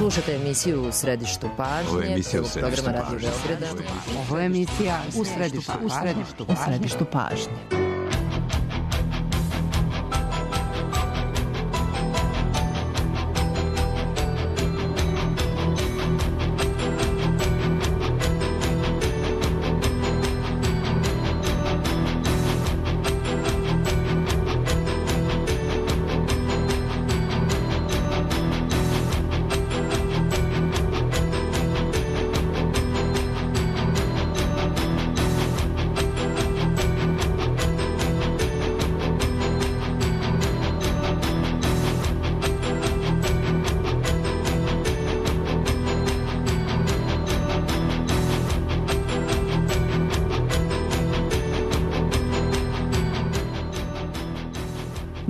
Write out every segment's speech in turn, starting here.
Slušate emisiju U središtu pažnje, programa Radio Beograda. Ovo je emisija U središtu pažnje.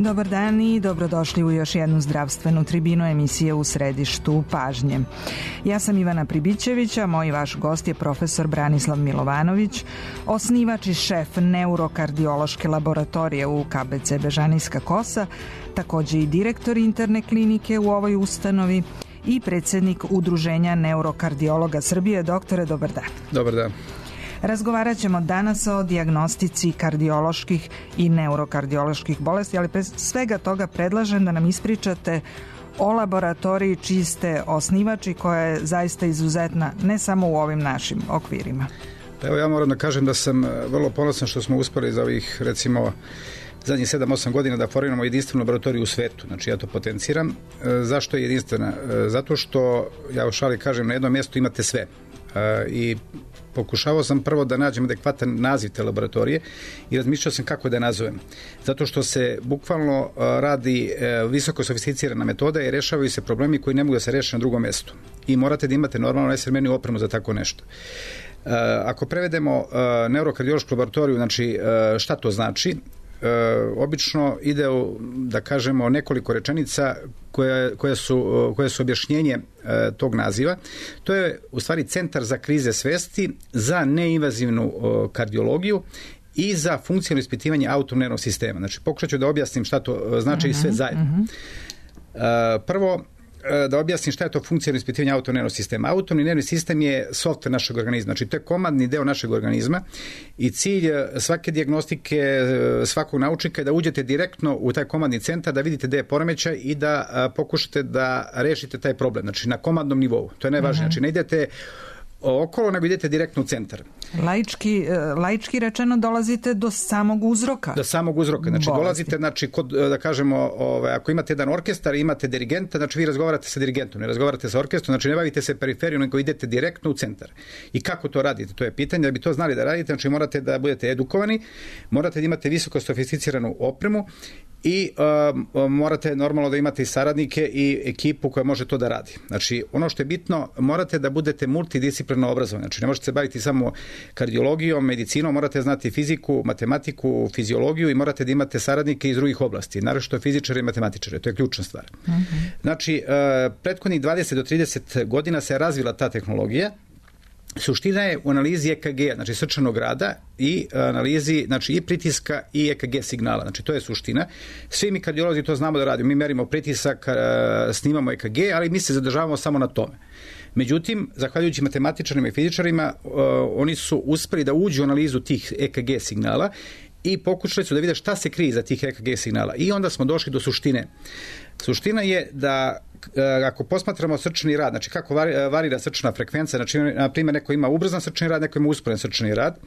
Dobar dan i dobrodošli u još jednu zdravstvenu tribinu emisije U središtu pažnje. Ja sam Ivana Pribićević, a moj vaš gost je profesor Branislav Milovanović, osnivač i šef neurokardiološke laboratorije u KBC Bežanijska Kosa, također i direktor interne klinike u ovoj ustanovi i predsjednik Udruženja neurokardiologa Srbije. Doktore, dobar dan. Dobar dan. Razgovarat ćemo danas o dijagnostici kardioloških i neurokardioloških bolesti, ali bez svega toga predlažem da nam ispričate o laboratoriji čiji ste osnivači, koja je zaista izuzetna ne samo u ovim našim okvirima. Evo, ja moram da kažem da sam vrlo ponosan što smo uspeli za ovih, recimo, zadnjih 7-8 godina da formiramo jedinstvenu laboratoriju u svetu. Znači, ja to potenciram. Zašto je jedinstvena? Zato što, ja u šali kažem, na jednom mjestu imate sve. I pokušavao sam prvo da nađem adekvatan naziv te laboratorije i razmišljao sam kako da je nazovem. Zato što se bukvalno radi visoko sofisticirana metoda i rešavaju se problemi koji ne mogu da se reše na drugom mjestu. I morate da imate normalno najsavremeniju opremu za tako nešto. Ako prevedemo neurokardiološku laboratoriju, znači šta to znači? Obično ide, da kažemo, nekoliko rečenica koje su objašnjenje tog naziva. To je u stvari centar za krize svesti, za neinvazivnu kardiologiju i za funkcionalno ispitivanje autonomnog sistema. Znači, pokušat ću da objasnim šta to znači i sve zajedno. Prvo, da objasnim šta je to funkcionalno ispitivanje autonomnog sistema. Autonomni nervni sistem je softver našeg organizma, znači to je komandni deo našeg organizma i cilj svake dijagnostike, svakog naučnika je da uđete direktno u taj komandni centar, da vidite gde je poremećaj i da pokušate da rešite taj problem, znači na komandnom nivou. To je najvažnije, znači ne idete okolo, nego idete direktno u centar. Laički rečeno dolazite do samog uzroka. Do samog uzroka. Znači dolazite, znači, kod, da kažemo, ako imate jedan orkestar, imate dirigenta, znači vi razgovarate sa dirigentom, ne razgovarate sa orkestrom, znači ne bavite se periferijom, nego idete direktno u centar. I kako to radite? To je pitanje. Da bi to znali da radite, znači morate da budete edukovani, morate da imate visoko sofisticiranu opremu i morate normalno da imate i saradnike i ekipu koja može to da radi. Znači, ono što je bitno, morate da budete multidisciplinarno obrazovani. Znači, ne možete se baviti samo kardiologijom, medicinom, morate znati fiziku, matematiku, fiziologiju i morate da imate saradnike iz drugih oblasti, naročito fizičare i matematičare. To je ključna stvar. Znači, prethodnih 20 do 30 godina se je razvila ta tehnologija. Suština je u analizi EKG, znači srčanog rada i analizi, znači i pritiska i EKG signala. Znači to je suština. Svi mi kardiolozi to znamo da radimo. Mi merimo pritisak, snimamo EKG, ali mi se zadržavamo samo na tome. Međutim, zahvaljujući matematičarima i fizičarima, oni su uspeli da uđu u analizu tih EKG signala i pokušali su da vide šta se krije za tih EKG signala. I onda smo došli do suštine. Suština je da ako posmatramo srčani rad, znači kako varira srčana frekvencija, znači na primjer neko ima ubrzan srčani rad, neko ima usporen srčani rad.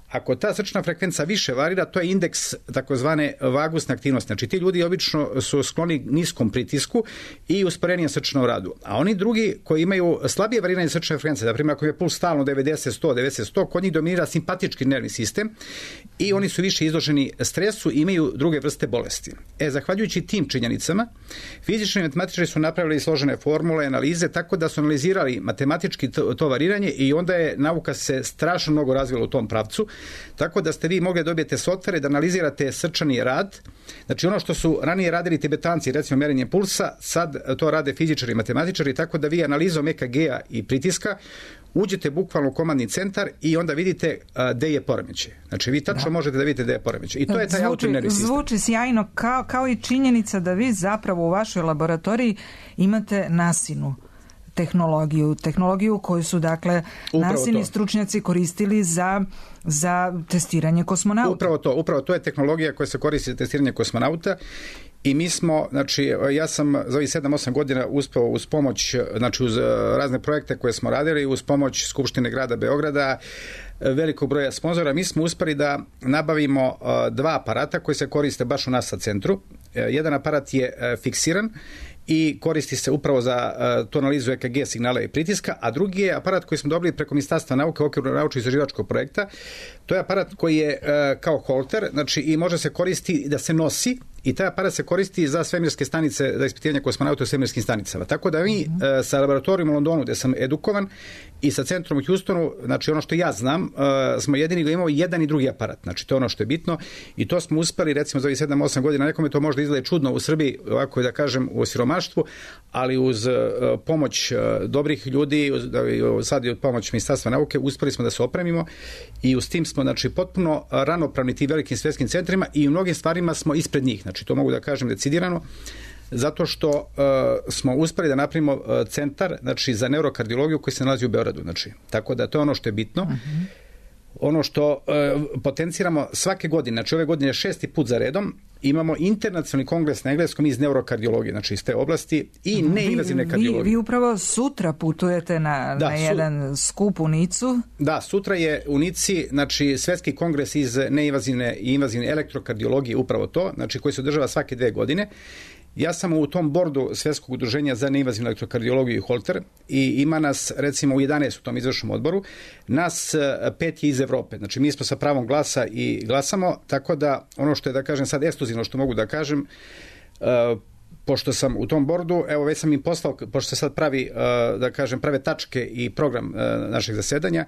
Ako ta srčana frekvencija više varira, to je indeks takozvane vagusne aktivnosti. Znači ti ljudi obično su skloni niskom pritisku i usporenijem srčanom radu. A oni drugi koji imaju slabije variranje srčane frekvencije, na primjer ako je puls stalno 90-100, kod njih dominira simpatički nervni sistem i oni su više izloženi stresu i imaju druge vrste bolesti. Zahvaljujući tim činjenicama, fizičari i matematičari su napravili složene formule, analize, tako da su analizirali matematički to variranje i onda je nauka se strašno mnogo razvila u tom pravcu. Tako da ste vi mogli dobijete softvere da analizirate srčani rad. Znači ono što su ranije radili tibetanci, recimo mjerenje pulsa, sad to rade fizičari i matematičari, tako da vi analizom EKG-a i pritiska uđete bukvalno u komandni centar i onda vidite gde je poremećaj. Znači vi tačno možete da vidite gde je poremećaj. I to je taj autonomni sistem. Zvuči sjajno, kao i činjenica da vi zapravo u vašoj laboratoriji imate nasinu tehnologiju koju su dakle nasilni stručnjaci koristili za testiranje kosmonauta. Upravo to je tehnologija koja se koristi za testiranje kosmonauta. I mi smo, znači, ja sam za ovih 7-8 godina uspeo uz pomoć, znači uz razne projekte koje smo radili, uz pomoć Skupštine grada Beograda, velikog broja sponzora, mi smo uspeli da nabavimo 2 aparata koji se koriste baš u nas na centru. Jedan aparat je fiksiran i koristi se upravo za tu analizu EKG signala i pritiska, a drugi je aparat koji smo dobili preko Ministarstva nauke u okviru naučno-istraživačkog projekta. To je aparat koji je kao holter, znači i može se koristiti da se nosi, i taj aparat se koristi za svemirske stanice, za ispitivanje kosmonauta u svemirskim stanicama. Tako da mi sa laboratorijom u Londonu, gde sam edukovan, i sa centrom u Houstonu, znači ono što ja znam, smo jedini da imamo jedan i drugi aparat. Znači to je ono što je bitno i to smo uspeli, recimo za ovih 7-8 godina, nekome to možda izgleda čudno u Srbiji, ovako da kažem u siromaštvu, ali uz pomoć dobrih ljudi, sad i od pomoć Ministarstva nauke, uspeli smo da se opremimo i uz tim smo, znači, potpuno ravnopravni tim velikim svetskim centrima i u mnogim stvarima smo ispred njih. Znači to mogu da kažem decidirano, zato što smo uspeli da napravimo centar, znači, za neurokardiologiju koji se nalazi u Beogradu. Znači, tako da to je ono što je bitno. Ono što potenciramo svake godine, znači ove godine 6. put za redom, imamo internacionalni kongres na engleskom iz neurokardiologije, znači iz te oblasti i neinvazivne kardiologije. Vi upravo sutra putujete na jedan skup u Nicu. Da, sutra je u Nici, znači, svetski kongres iz neinvazivne i invazivne elektrokardiologije, upravo to, znači koji se održava svake 2 godine. Ja sam u tom bordu Svetskog udruženja za neinvazivnu elektrokardiologiju i holter i ima nas, recimo, u 11 u tom izvršnom odboru, nas 5 je iz Evrope. Znači mi smo sa pravom glasa i glasamo, tako da ono što je, da kažem sad ekskluzivno što mogu da kažem, pošto sam u tom bordu, evo već sam im poslao, pošto se sad pravi, da kažem, prave tačke i program našeg zasedanja,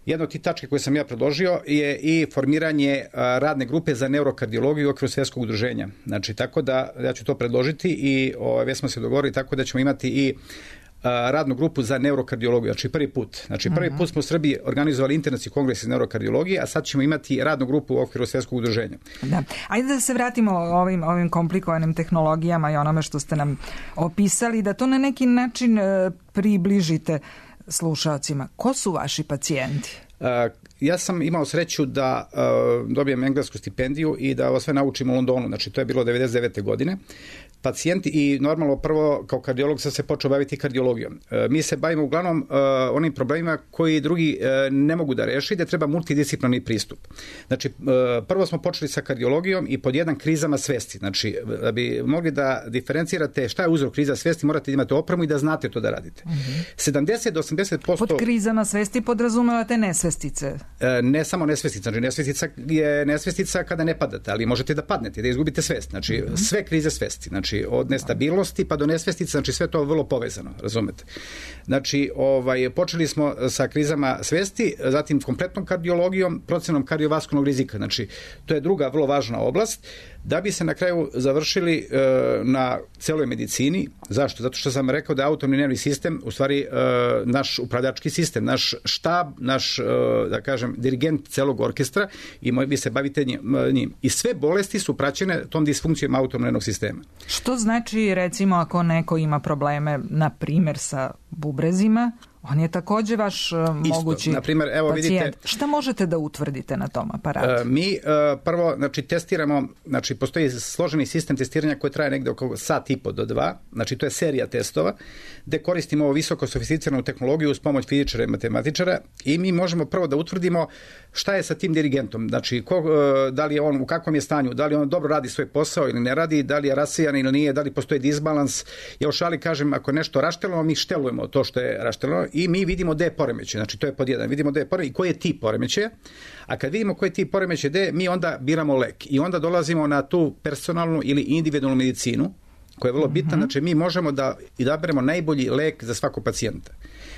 jedna od tih tačke koje sam ja predložio je i formiranje radne grupe za neurokardiologiju u okviru Svetskog udruženja. Znači, tako da ja ću to predložiti i već smo se dogovorili tako da ćemo imati i radnu grupu za neurokardiologiju, znači prvi put. Znači prvi put smo u Srbiji organizovali internacionalni kongres iz neurokardiologije, a sad ćemo imati radnu grupu u okviru Svetskog udruženja. Da. Ajde da se vratimo ovim komplikovanim tehnologijama i onome što ste nam opisali, da to na neki način približite slušalcima. Ko su vaši pacijenti? Ja sam imao sreću da dobijem englesku stipendiju i da ovo sve naučim u Londonu, znači to je bilo 99. godine. Pacijenti i normalno prvo kao kardiolog sam se počeo baviti kardiologijom. Mi se bavimo uglavnom onim problemima koji drugi ne mogu da reši, da treba multidisciplinarni pristup. Znači prvo smo počeli sa kardiologijom i pod jedan krizama svesti. Znači da bi mogli da diferencirate šta je uzrok kriza svesti, morate imati opremu i da znate to da radite. 70 do 80%... Pod krizama svesti podrazumevate nesvestice? Ne samo nesvestica, znači nesvestica je nesvestica kada ne padate, ali možete da padnete, da izgubite svest. Znači sve krize svesti, znači od nestabilnosti pa do nesvestice, znači sve to vrlo povezano, razumete. Znači, počeli smo sa krizama svesti, zatim kompletnom kardiologijom, procenom kardiovaskularnog rizika, znači to je druga vrlo važna oblast, da bi se na kraju završili na celoj medicini. Zašto? Zato što sam rekao da je autonomni nervni sistem u stvari naš upravljački sistem, naš štab, naš, da kažem, dirigent celog orkestra i vi se bavite njim. I sve bolesti su praćene tom disfunkcijom autonomnog nervnog sistema. Što znači, recimo, ako neko ima probleme, na primjer, sa bubrezima, on je takođe vaš mogući naprimjer, evo, pacijent. Vidite, šta možete da utvrdite na tom aparatu? Mi prvo, znači, testiramo, znači, postoji složeni sistem testiranja koji traje negde oko sat i po do 2, znači to je serija testova, gde koristimo ovo visoko sofisticiranu tehnologiju uz pomoć fizičara i matematičara i mi možemo prvo da utvrdimo šta je sa tim dirigentom, znači da li je on, u kakvom je stanju, da li on dobro radi svoj posao ili ne radi, da li je rasejan ili nije, da li postoji disbalans. Ja u šali kažem, ako je nešto raštelano, mi štelujemo to što je raštelano i mi vidimo gde je poremećaj, znači to je pod jedan, vidimo gde je poremećaj i koji je tip poremećaja, a kad vidimo koji je tip poremećaja gde, mi onda biramo lek i onda dolazimo na tu personalnu ili individualnu medicinu koja je vrlo bitna, znači mi možemo da izaberemo najbolji lek za svakog pacijenta.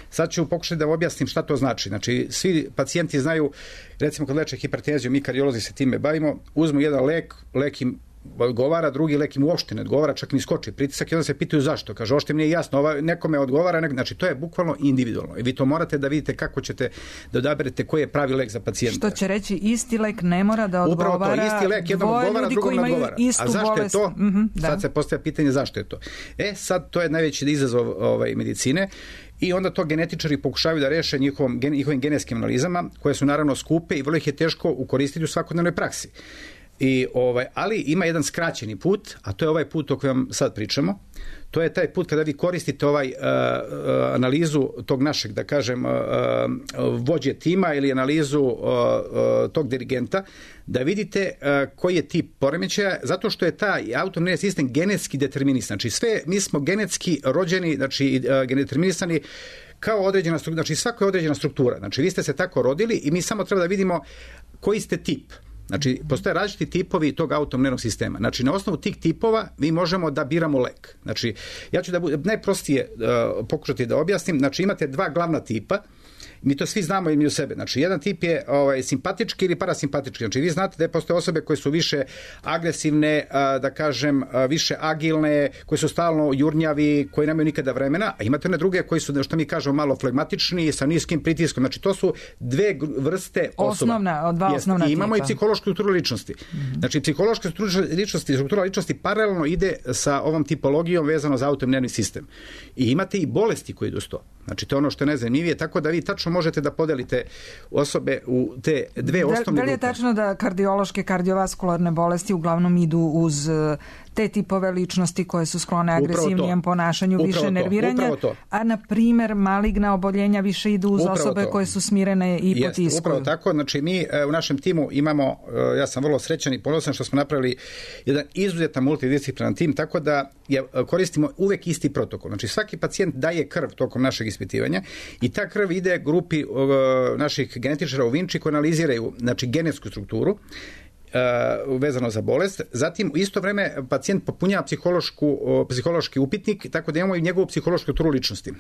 Sad ću pokušati da objasnim šta to znači. Znači, svi pacijenti znaju, recimo kad leče hipertenziju, mi kardiolozi se time bavimo, uzmu jedan lek im odgovara, drugi lek im uopšte ne odgovara, čak ni skoči pritisak i onda se pitaju zašto. Kaže, uopšte mi nije jasno, nekome odgovara, znači to je bukvalno individualno i vi to morate da vidite kako ćete da odaberete koji je pravi lek za pacijenta. Što će reći isti lek ne mora da odgovara. Upravo to, isti lek jednom odgovara, drugom ne odgovara. A zašto je to? Sad se postavlja pitanje zašto je to. Sad to je najveći izazov medicine. I onda to genetičari pokušavaju da reše njihovim genetskim analizama, koje su naravno skupe i vrlo ih je teško ukoristiti u svakodnevnoj praksi. Ali ima jedan skraćeni put, a to je ovaj put o kojem sad pričamo. To je taj put kada vi koristite analizu tog našeg, da kažem, vođe tima ili analizu tog dirigenta, da vidite koji je tip poremećaja, zato što je taj autonomni sistem genetski determinisan. Znači mi smo genetski rođeni, znači determinisani kao određena struktura, znači svako je određena struktura. Znači vi ste se tako rodili i mi samo treba da vidimo koji ste tip. Znači, postoje različiti tipovi tog autonomnog sistema. Znači, na osnovu tih tipova mi možemo da biramo lek. Znači, ja ću najprostije pokušati da objasnim. Znači, imate dva glavna tipa. Mi to svi znamo i mi u sebe. Znači, jedan tip je simpatički ili parasimpatički. Znači, vi znate da postoje osobe koje su više agresivne, da kažem, više agilne, koje su stalno jurnjavi, koji nemaju nikada vremena, a imate one druge koji su, što mi kažemo, malo flegmatični, sa niskim pritiskom. Znači, to su dve vrste osoba. Dva osnovna tipa. I imamo i psihološku strukturu ličnosti. Znači, psihološka struktura ličnosti paralelno ide sa ovom tipologijom vezano za autonomni sistem. I imate i bolesti koje idu s to. Znači, to je ono što je najzanimljivije, tako da vi tačno možete da podelite osobe u te dve osnovne grupe. Da li je tačno da kardiološke, kardiovaskularne bolesti uglavnom idu uz te tipove ličnosti koje su sklone agresivnijem ponašanju, više nerviranja, a na primjer maligna oboljenja više idu uz osobe koje su smirene i potiskuju? Upravo tako, znači mi u našem timu imamo, ja sam vrlo srećan i ponosan što smo napravili jedan izuzetan multidisciplinaran tim, tako da koristimo uvek isti protokol. Znači svaki pacijent daje krv tokom našeg ispitivanja i ta krv ide grupi naših genetičara u Vinči koji analiziraju, znači, genetsku strukturu vezano za bolest. Zatim u isto vreme pacijent popunjava psihološki upitnik, tako da imamo i njegovu psihološku strukturu ličnosti.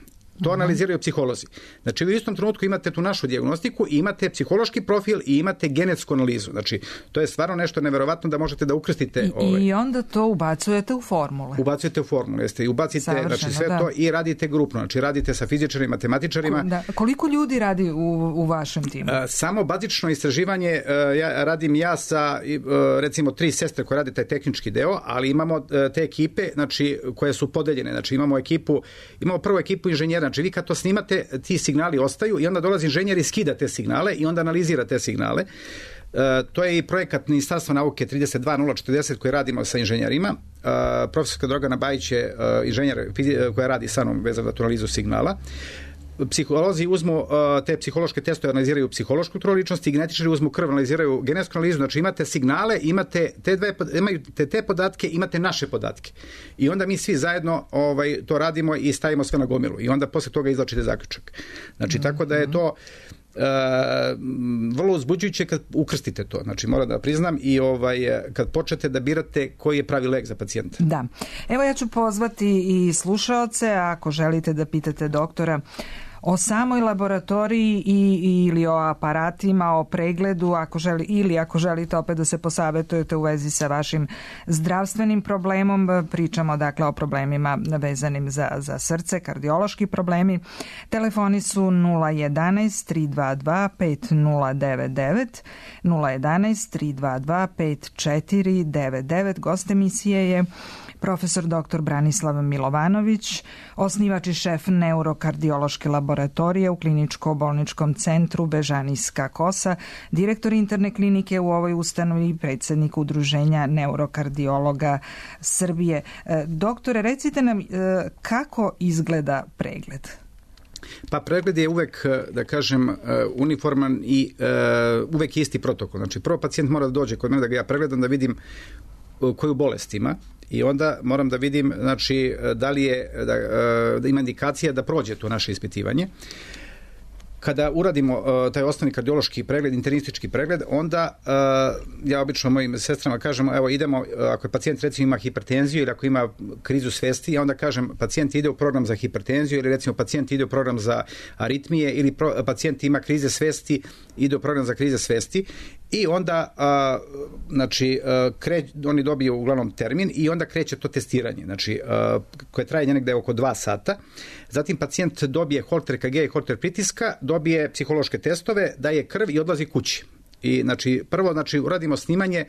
To analiziraju psiholozi. Znači vi u istom trenutku imate tu našu dijagnostiku i imate psihološki profil i imate genetsku analizu. Znači to je stvarno nešto neverovatno da možete da ukrstite. I onda to ubacujete u formule. Ubacujete u formule, jeste. I ubacite sve to i radite grupno. Znači radite sa fizičarima, matematičarima. Koliko ljudi radi u vašem timu? Samo bazično istraživanje radim ja sa recimo 3 sestre koje rade taj tehnički deo, ali imamo te ekipe, znači, koje su podeljene. Znači imamo prvu ekipu inženjera. Znači vi kad to snimate, ti signali ostaju i onda dolazi inženjer i skida te signale i onda analizira te signale. To je i projekat Ministarstva nauke 32040 koji radimo sa inženjerima. Profesorka Dragana Bajić je inženjer koja radi sa mnom vezano za tu analizu signala. Psiholozi uzmu te psihološke testove, analiziraju psihološku strukturu ličnosti i genetičari uzmu krv, analiziraju genetsku analizu. Znači imate signale, imate te podatke, imate naše podatke. I onda mi svi zajedno to radimo i stavimo sve na gomilu. I onda posle toga izvlačite zaključak. Znači tako da je to vrlo uzbuđujuće kad ukrstite to. Znači moram da priznam i kad počnete da birate koji je pravi lek za pacijenta. Da. Evo ja ću pozvati i slušaoce, ako želite da pitate doktora o samoj laboratoriji ili o aparatima, o pregledu, ako želite opet da se posavetujete u vezi sa vašim zdravstvenim problemom. Pričamo dakle o problemima vezanim za srce, kardiološki problemi. Telefoni su 011 322 5099, 011 322 5499. Gost emisije je profesor dr. Branislav Milovanović, osnivač i šef neurokardiološke laboratorije u kliničko-bolničkom centru Bežanijska Kosa, direktor interne klinike u ovoj ustanovi i predsjednik Udruženja neurokardiologa Srbije. Doktore, recite nam kako izgleda pregled? Pa pregled je uvek, da kažem, uniforman i uvek isti protokol. Znači prvo pacijent mora da dođe kod mene da ga ja pregledam, da vidim koju bolest ima. I onda moram da vidim, znači, da li je, da ima indikacija da prođe to naše ispitivanje. Kada uradimo taj osnovni kardiološki pregled, internistički pregled, onda ja obično mojim sestrama kažem, evo idemo, ako je pacijent recimo ima hipertenziju ili ako ima krizu svesti, ja onda kažem pacijent ide u program za hipertenziju ili recimo pacijent ide u program za aritmije ili pacijent ima krize svesti, ide u program za krize svesti i onda oni dobiju uglavnom termin i onda kreće to testiranje, znači koje traje negde oko 2 sata. Zatim pacijent dobije Holter EKG i Holter pritiska, dobije psihološke testove, daje krv i odlazi kući. I prvo uradimo snimanje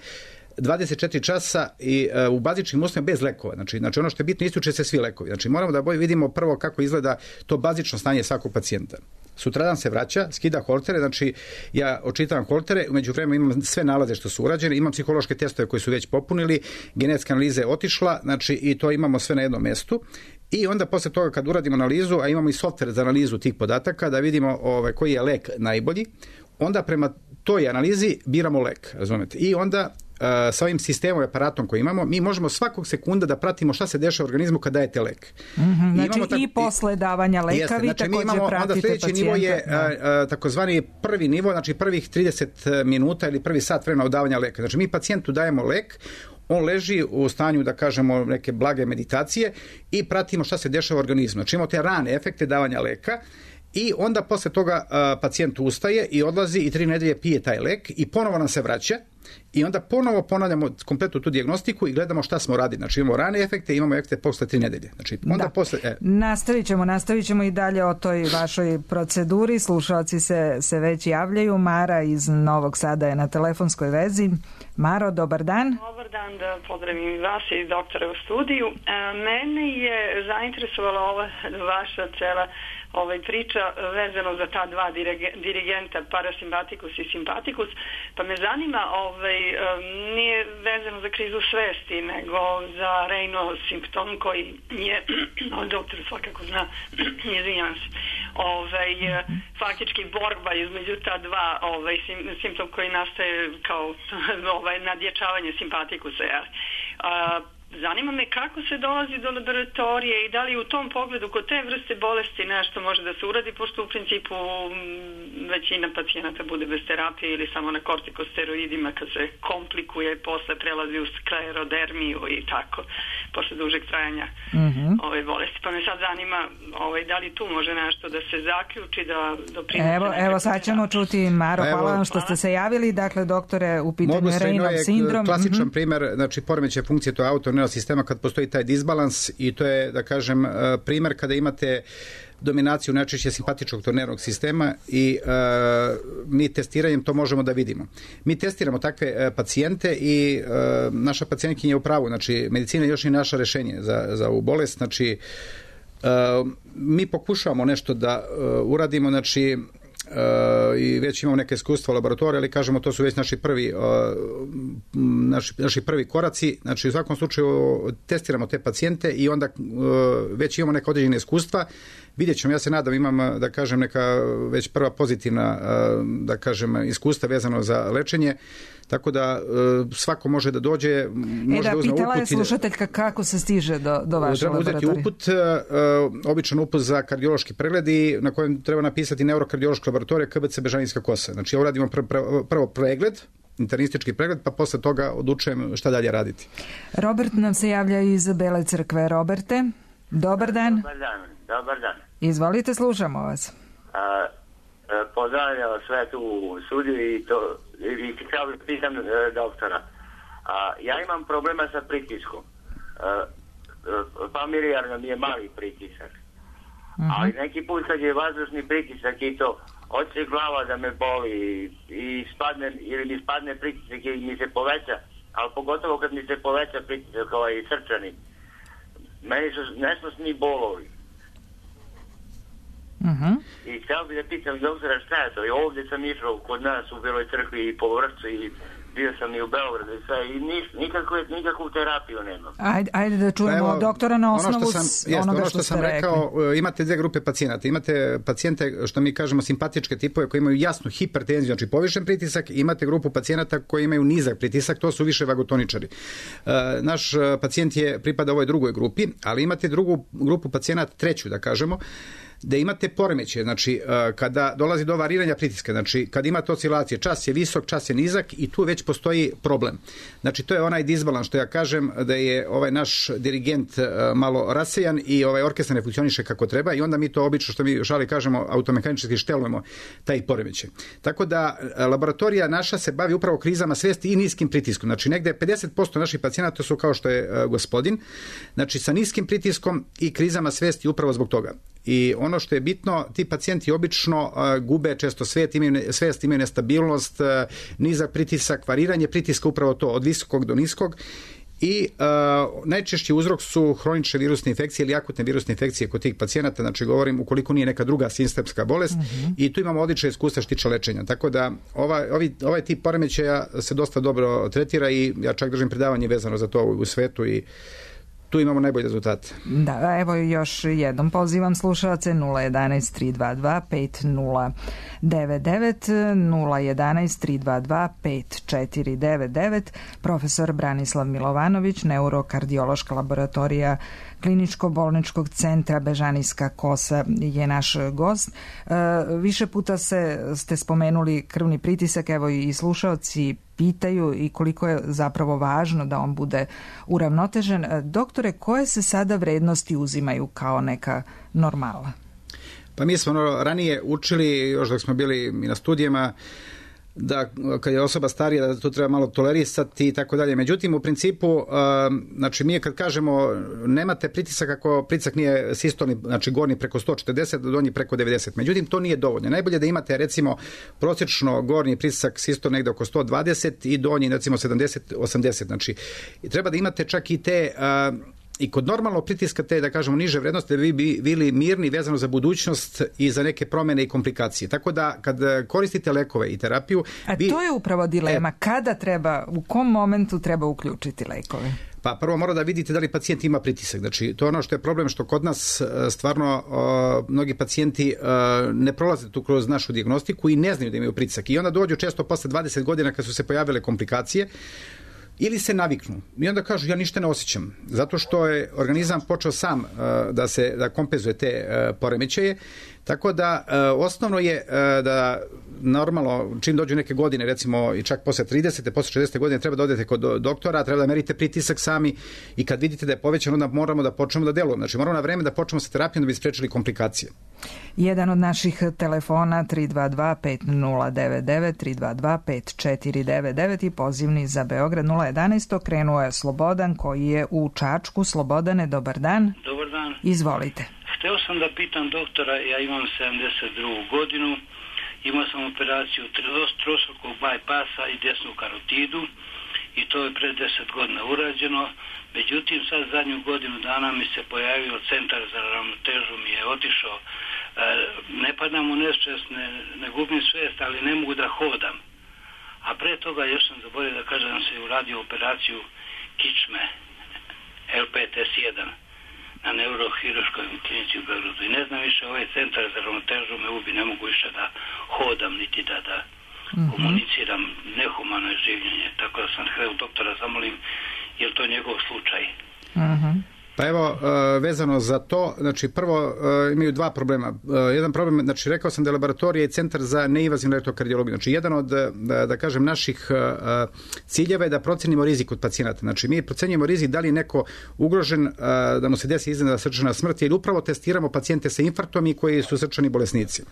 24 časa i u bazičnim uslovima bez lekova. Znači ono što je bitno, isključe se svi lekovi. Znači moramo da vidimo prvo kako izgleda to bazično stanje svakog pacijenta. Sutradan se vraća, skida holtere, znači ja očitavam holtere, umeđu vremenu imam sve nalaze što su urađene, imam psihološke testove koji su već popunili, genetska analiza je otišla, znači i to imamo sve na jednom mestu. I onda posle toga kad uradimo analizu, a imamo i softver za analizu tih podataka, da vidimo koji je lek najbolji, onda prema toj analizi biramo lek, razumete? I onda sa ovim sistemom i aparatom koji imamo, mi možemo svakog sekunda da pratimo šta se dešava u organizmu kad dajete lek. I posle davanja leka vi takođe pratite pacijenta. Sljedeći nivo je takozvani prvi nivo, znači prvih 30 minuta ili prvi sat vremena od davanja leka. Znači mi pacijentu dajemo lek, on leži u stanju, da kažemo, neke blage meditacije i pratimo šta se dešava u organizmu. Znači imamo te rane efekte davanja leka i onda posle toga pacijent ustaje i odlazi i 3 nedelje pije taj lek i ponovo nam se vraća i onda ponovo ponavljamo kompletnu tu dijagnostiku i gledamo šta smo radili. Znači imamo rane efekte i imamo efekte posle 3 nedelje. Znači, onda Nastavit ćemo i dalje o toj vašoj proceduri. Slušalci se već javljaju. Mara iz Novog Sada je na telefonskoj vezi. Maro, dobar dan. Dobar dan, da pozdravim vas i doktora u studiju. Mene je zainteresovala ova vaša cela priča vezano za ta dva dirigenta, parasimpatikus i simpatikus, pa me zanima, nije vezano za krizu svesti, nego za Raynaud simptom koji je, doktor svakako zna, izvinjavam se, faktički borba između ta dva simptom koji nastaje kao nadjačavanje simpatikusa. Zanima me kako se dolazi do laboratorije i da li u tom pogledu kod te vrste bolesti nešto može da se uradi, pošto u principu većina pacijenata bude bez terapije ili samo na kortikosteroidima kad se komplikuje, posle prelazi u sklerodermiju i tako, posle dužeg trajanja ove bolesti. Pa me sad zanima da li tu može nešto da se zaključi, da doprinese. Evo sad ćemo čuti, Maro, hvala vam što ste se javili. Dakle, doktore, u pitanju je Raynaud sindrom. Klasičan primer, znači poremećaj funkcije to autoneuronalnog sistema kad postoji taj disbalans i to je, da kažem, primer kada imate dominaciju najčešće simpatičnog nervnog sistema i mi testiranjem to možemo da vidimo. Mi testiramo takve pacijente i naša pacijentkinja je u pravu, znači medicina još nije naše rešenje za ovu bolest, znači mi pokušavamo nešto da uradimo, znači i već imamo neke iskustva u laboratoriju, ali kažemo to su već naši prvi koraci. Znači u svakom slučaju testiramo te pacijente i onda već imamo neka određena iskustva. Vidjet ćemo, ja se nadam, imam, da kažem, neka već prva pozitivna, da kažem, iskustva vezano za lečenje, tako da svako može da dođe, može da uzme uput. Pitala je slušateljka kako se stiže do vaše laboratorije. Treba uzeti običan uput za kardiološki pregled i na kojem treba napisati neurokardiološka laboratorija KBC Bežanijska kosa. Znači ovo radimo prvo pregled, internistički pregled, pa posle toga odlučujem šta dalje raditi. Robert nam se javlja iz Bele Crkve. Roberte, dobar dan. Dobar dan. Izvolite, slušamo vas. Pozdravljam sve tu u studiju i htio bih pitam doktora. Ja imam problema sa pritiskom. Familijarno mi je mali pritisak. Ali neki put kad je vazdušni pritisak i to, hoće glava da me boli i mi spadne pritisak i mi se poveća, ali pogotovo kad mi se poveća pritisak srčani. Meni su nesnosni bolovi. I htio bih da pitam doktora šta je to. I ovdje sam išao kod nas u Beloj Crkvi i po Vršcu i bio sam i u Beogradu i sve i nikakvu terapiju nemam. Ajde da čujemo doktora na osnovu onoga što sam rekao. Imate dve grupe pacijenata. Imate pacijente, što mi kažemo, simpatičke tipove koji imaju jasnu hipertenziju, znači povišen pritisak, i imate grupu pacijenata koji imaju nizak pritisak, to su više vagotoničari. Naš pacijent pripada ovoj drugoj grupi, ali imate drugu grupu pacijenata, treću, da kažemo. da imate poremećaje, znači kada dolazi do variranja pritiska, znači kad imate oscilacije, čas je visok, čas je nizak i tu već postoji problem. Znači to je onaj disbalans što ja kažem da je ovaj naš dirigent malo rasejan i ovaj orkestar ne funkcioniše kako treba i onda mi to obično što mi šali kažemo automehanički štelujemo taj poremećaj. Tako da laboratorija naša se bavi upravo krizama svesti i niskim pritiskom. Znači negde 50% naših pacijenata su kao što je gospodin, znači sa niskim pritiskom i krizama svesti upravo zbog toga. I ono što je bitno, ti pacijenti obično gube često svest, imaju nestabilnost, nizak pritisak, variranje pritiska, upravo to od visokog do niskog. I najčešći uzrok su hronične virusne infekcije ili akutne virusne infekcije kod tih pacijenata, znači govorim ukoliko nije neka druga sistemska bolest i tu imamo odlične iskustva što tiče lečenja. Tako da ovaj tip poremećaja se dosta dobro tretira i ja čak držim predavanje vezano za to u svetu i tu imamo najbolje rezultate. Da, evo još jednom pozivam slušalce 011 322 5099 011 322 5499. Profesor Branislav Milovanović, neurokardiološka laboratorija Kliničko-bolničkog centra Bežanijska kosa je naš gost. Više puta ste spomenuli krvni pritisak, evo i slušaoci pitaju i koliko je zapravo važno da on bude uravnotežen. Doktore, koje se sada vrednosti uzimaju kao neka normala? Pa mi smo ranije učili, još dok smo bili i na studijama, da kad je osoba starija da to treba malo tolerisati i tako dalje. Međutim, u principu, znači mi kad kažemo nemate pritisak ako pritisak nije sistolni, znači gornji preko 140, donji preko 90. Međutim, to nije dovoljno. Najbolje da imate recimo prosječno gornji pritisak sistol negde oko 120 i donji recimo 70-80. Znači, treba da imate čak i te i kod normalnog pritiska te, da kažemo, niže vrednosti, da bi bili mirni vezano za budućnost i za neke promene i komplikacije. Tako da, kad koristite lekove i terapiju... A to je upravo dilema. Kada treba, u kom momentu treba uključiti lekove? Pa prvo mora da vidite da li pacijent ima pritisak. Znači, to je ono što je problem, što kod nas stvarno mnogi pacijenti ne prolaze tu kroz našu dijagnostiku i ne znaju da imaju pritisak. I onda dođu često posle 20 godina kad su se pojavile komplikacije, ili se naviknu i onda kažu ja ništa ne osjećam, zato što je organizam počeo sam da kompenzuje te poremećaje. Tako da osnovno je da normalno čim dođu neke godine, recimo i čak posle 30. posle 60. godine treba da odete kod doktora, treba da merite pritisak sami i kad vidite da je povećan onda moramo da počnemo da delujemo. Znači moramo na vreme da počnemo sa terapijom da bi sprečili komplikacije. Jedan od naših telefona 322 5099 322 5499 i pozivni za Beograd 011. Krenuo je Slobodan koji je u Čačku. Slobodane, dobar dan. Dobar dan. Izvolite. Hteo sam da pitam doktora, ja imam 72. godinu, imao sam operaciju trostrukog bajpasa i desnu karotidu i to je pred 10 godina urađeno. Međutim, sad zadnju godinu dana mi se pojavio centar za ravnotežu, mi je otišao. Ne padam u nesvest, ne gubim svest, ali ne mogu da hodam. A pre toga još sam zaboravio da kažem da sam se uradio operaciju kičme L5S1 na neurohirurškoj klinici u Beogradu. I ne znam više, ovaj centar za ravnotežu me ubi, ne mogu više da hodam, niti da komuniciram, nehumano je življenje. Tako da sam htio doktora zamolim, je li to njegov slučaj? Pa evo, vezano za to, znači prvo imaju dva problema. Jedan problem, znači rekao sam da je laboratorija i centar za neinvazivnu elektrokardiologiju. Znači jedan od, da kažem, naših ciljeva je da procenimo rizik od pacijenata. Znači mi procenjujemo rizik da li je neko ugrožen da mu se desi iznenadna srčana smrt ili upravo testiramo pacijente sa infarktom i koji su srčani bolesnici.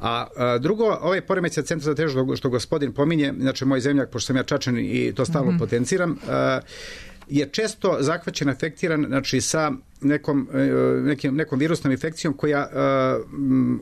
A drugo, ovaj poremećaj centra za težu što gospodin pominje, znači moj zemljak, pošto sam ja Čačan i to stalno potenciram, je često zahvaćen, afektiran, znači sa nekom virusnom infekcijom koja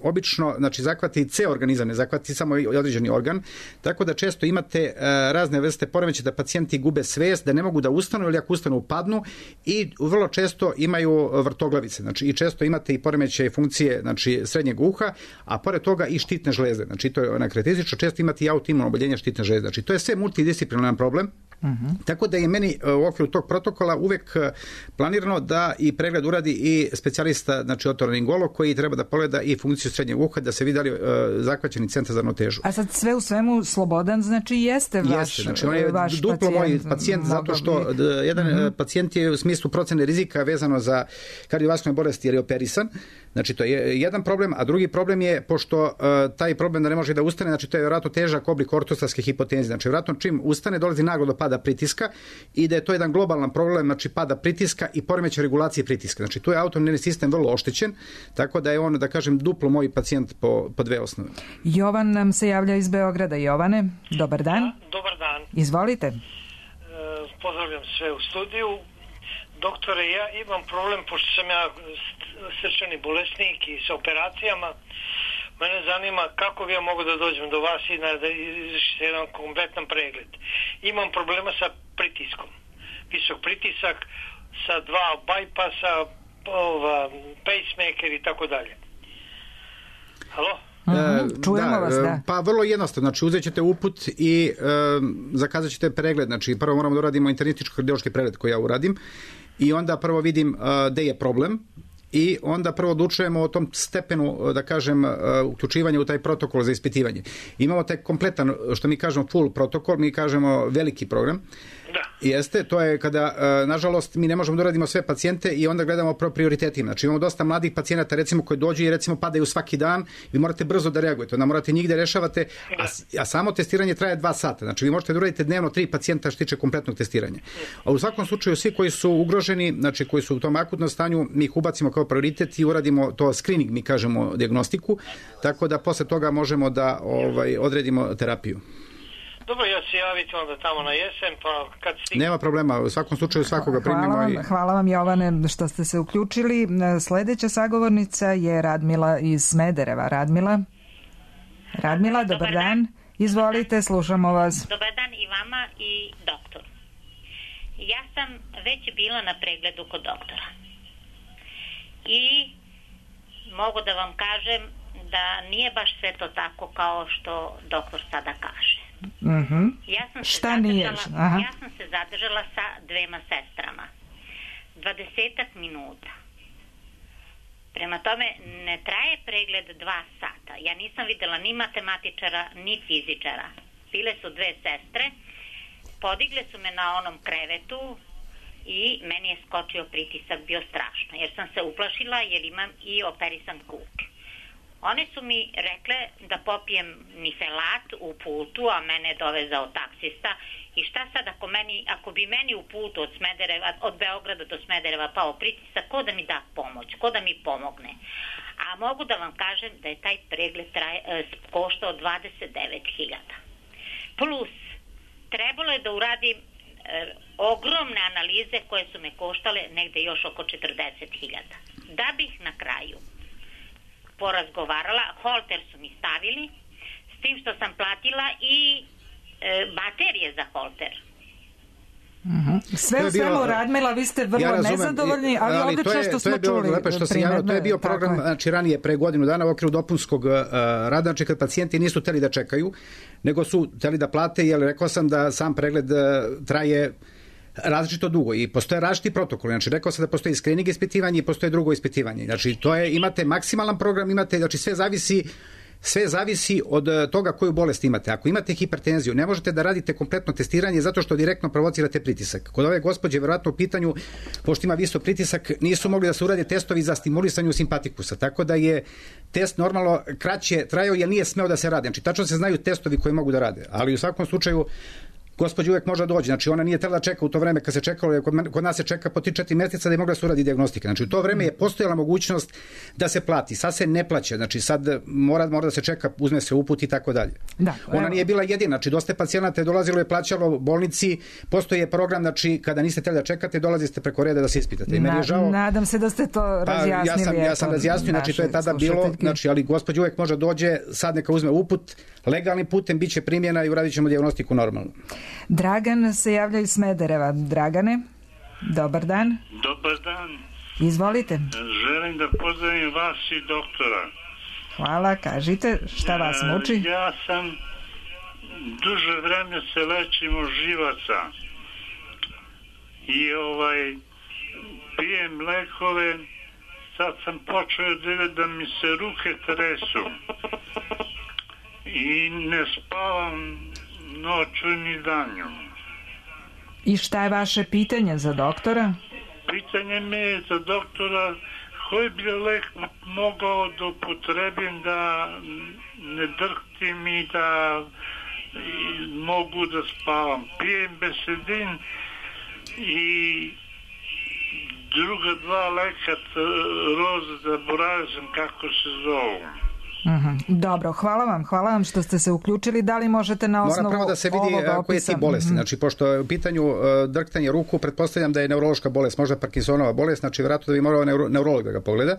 obično, znači zahvati ceo organizam, ne zahvati samo određeni organ, tako da često imate razne vrste poremećaja da pacijenti gube svest, da ne mogu da ustanu ili ako ustanu padnu i vrlo često imaju vrtoglavice, znači i često imate i poremećaje funkcije, znači srednjeg uha, a pored toga i štitne žlezde, znači to je karakteristično, često imate i autoimuno oboljenje štitne žlezde, znači to je sve multidisciplinaran problem. Tako da je meni u okviru tog protokola uvek planirano da i pregled uradi i specijalista, znači otorinolaringolog koji treba da pogleda i funkciju srednjeg uha, da se vidi da li zahvaćeni centar za ravnotežu. A sad sve u svemu Slobodan, znači jeste vaš znači on je duplo moj pacijent zato što jedan pacijent je u smislu procene rizika vezano za kardiovaskularne bolesti jer je operisan. Znači to je jedan problem, a drugi problem je pošto taj problem da ne može da ustane, znači to je vjerojatno težak oblik ortostatske hipotenzije. Znači vjerojatno čim ustane dolazi naglo do pada pritiska i da je to jedan globalan problem, znači pada pritiska i poremećaj regulacije pritiska. Znači tu je autonomni sistem vrlo oštećen, tako da je on, da kažem, duplo moj pacijent po dve osnove. Jovan nam se javlja iz Beograda. Jovane, dobar dan. Dobar dan. Izvolite. Pozdravljam sve u studiju. Doktore, ja imam problem, pošto sam ja srčani bolesnik i sa operacijama, mene zanima kako bi ja mogu da dođem do vas i da izvršite jedan kompletan pregled. Imam problema sa pritiskom. Visok pritisak, sa 2 bypassa, pacemaker i tako dalje. Halo? Čujemo vas, da. Pa vrlo jednostavno, znači uzet ćete uput i zakazat ćete pregled, znači prvo moramo da uradimo internističko kardiološki pregled koji ja uradim i onda prvo vidim gde je problem i onda prvo odlučujemo o tom stepenu, da kažem, uključivanja u taj protokol za ispitivanje. Imamo taj kompletan, što mi kažemo full protokol, mi kažemo veliki program. Jeste, to je kada, nažalost, mi ne možemo da uradimo sve pacijente i onda gledamo prioritetima. Znači imamo dosta mladih pacijenata, recimo, koji dođu i recimo padaju svaki dan, vi morate brzo da reagujete, onda morate njih da rešavate, a samo testiranje traje 2 sata. Znači vi možete da uradite dnevno 3 pacijenta što tiče kompletnog testiranja. A u svakom slučaju svi koji su ugroženi, znači koji su u tom akutnom stanju, mi ih ubacimo kao prioritet i uradimo to screening, mi kažemo dijagnostiku, tako da posle toga možemo da odredimo terapiju. Dobro, ja se javiti onda tamo na jesen, pa kad stigne. Nema problema, u svakom slučaju svakoga primimo. Hvala vam, Jovane, što ste se uključili. Sledeća sagovornica je Radmila iz Smedereva. Radmila, dobar dan. Izvolite, slušamo vas. Dobar dan i vama i doktoru. Ja sam već bila na pregledu kod doktora. I mogu da vam kažem da nije baš sve to tako kao što doktor sada kaže. Ja sam se zadržala sa 2 sestrama 20 minuta. Prema tome ne traje pregled 2 sata. Ja nisam videla ni matematičara ni fizičara. Bile su 2 sestre, podigle su me na onom krevetu i meni je skočio pritisak, bio strašno jer sam se uplašila jer imam i operisan kuk. One su mi rekle da popijem nifelat u putu, a mene je dovezao taksista. I šta sad ako bi meni u putu od Beograda do Smedereva pao pritisak, ko da mi da pomoć, ko da mi pomogne. A mogu da vam kažem da je taj pregled koštao 29.000. Plus, trebalo je da uradim ogromne analize koje su me koštale negde još oko 40.000. Da bih na kraju porazgovarala, holter su mi stavili, s tim što sam platila i baterije za holter. Sve u svemu, Radmila, vi ste vrlo nezadovoljni, ali odlično što smo čuli primedbe. To je bio program, znači ranije, pre godinu dana u okviru dopunskog rada, znači kad pacijenti nisu hteli da čekaju, nego su hteli da plate, jer rekao sam da sam pregled traje različito dugo i postoje različiti protokoli. Znači rekao sam da postoji screening ispitivanje i postoje drugo ispitivanje. Znači to je, imate maksimalan program, imate, znači sve zavisi od toga koju bolest imate. Ako imate hipertenziju, ne možete da radite kompletno testiranje zato što direktno provocirate pritisak. Kod ove gospođe verovatno u pitanju, pošto ima visok pritisak, nisu mogli da se urade testovi za stimulisanje simpatikusa. Tako da je test normalno kraće trajao jer nije smeo da se radi. Znači tačno se znaju testovi koji mogu da rade. Ali u svakom slučaju gospođa uvek može doći, znači ona nije trebala da čeka u to vreme kad se čekalo, kod nas se čeka po 3-4 meseca da je mogla da se uradi dijagnostika. Znači u to vreme je postojala mogućnost da se plati. Sad se ne plaća, znači sad mora da se čeka, uzme se uput i tako dalje. Ona nije bila jedina, znači dosta pacijenata je dolazilo i plaćalo bolnici, postoji program, znači kada niste trebali da čekate, dolazite preko reda da se ispitate. Nadam se da ste to razjasnili. Ja sam razjasnio, znači to je tada bilo, znači, ali gospođa uvek može dođe, sad neka uzme uput, legalnim putem biće primjena i uradit ćemo dijagnostiku normalno. Dragan se javlja iz Smedereva. Dragane, dobar dan. Dobar dan. Izvolite. Želim da pozdravim vas i doktora. Hvala, kažite, šta vas muči? Ja sam duže vreme se lečim od živaca i pijem lekove, sad sam počeo da mi se ruke tresu i ne spavam noću ni danju. I šta je vaše pitanje za doktora? Pitanje mi je za doktora koji bi lek mogao da upotrebim da ne drhtim i da mogu da spavam. Pijem Besedin i druga dva leka roza, zaboravio sam kako se zovu. Dobro, hvala vam što ste se uključili. Da li možete na osnovu mora prvo da se vidi koje ti bolesti. Znači, pošto je u pitanju drhtanje ruku, pretpostavljam da je neurološka bolest, možda Parkinsonova bolest, znači vjerojatno da bi morao neurolog da ga pogleda.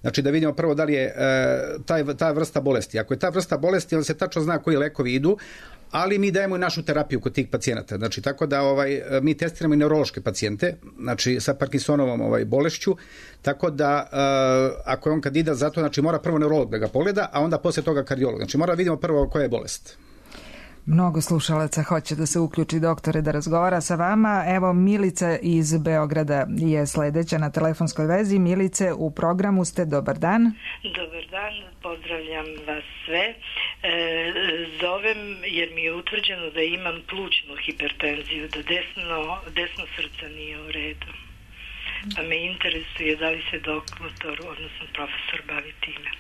Znači da vidimo prvo da li je ta vrsta bolesti. Ako je ta vrsta bolesti, onda se tačno zna koji lekovi idu, ali mi dajemo i našu terapiju kod tih pacijenata. Znači tako da mi testiramo i neurološke pacijente, znači sa Parkinsonovom bolešću, tako da ako je on kandidat za to, znači mora prvo neurolog da ga pogleda, a onda poslije toga kardiolog. Znači mora vidimo prvo koja je bolest. Mnogo slušalaca hoće da se uključi, doktore, da razgovara sa vama. Evo, Milica iz Beograda je sledeća na telefonskoj vezi. Milice, u programu ste. Dobar dan. Dobar dan, pozdravljam vas sve. Zovem jer mi je utvrđeno da imam plućnu hipertenziju, da desno srce nije u redu. Pa me interesuje da li se doktor, odnosno profesor, bavi time.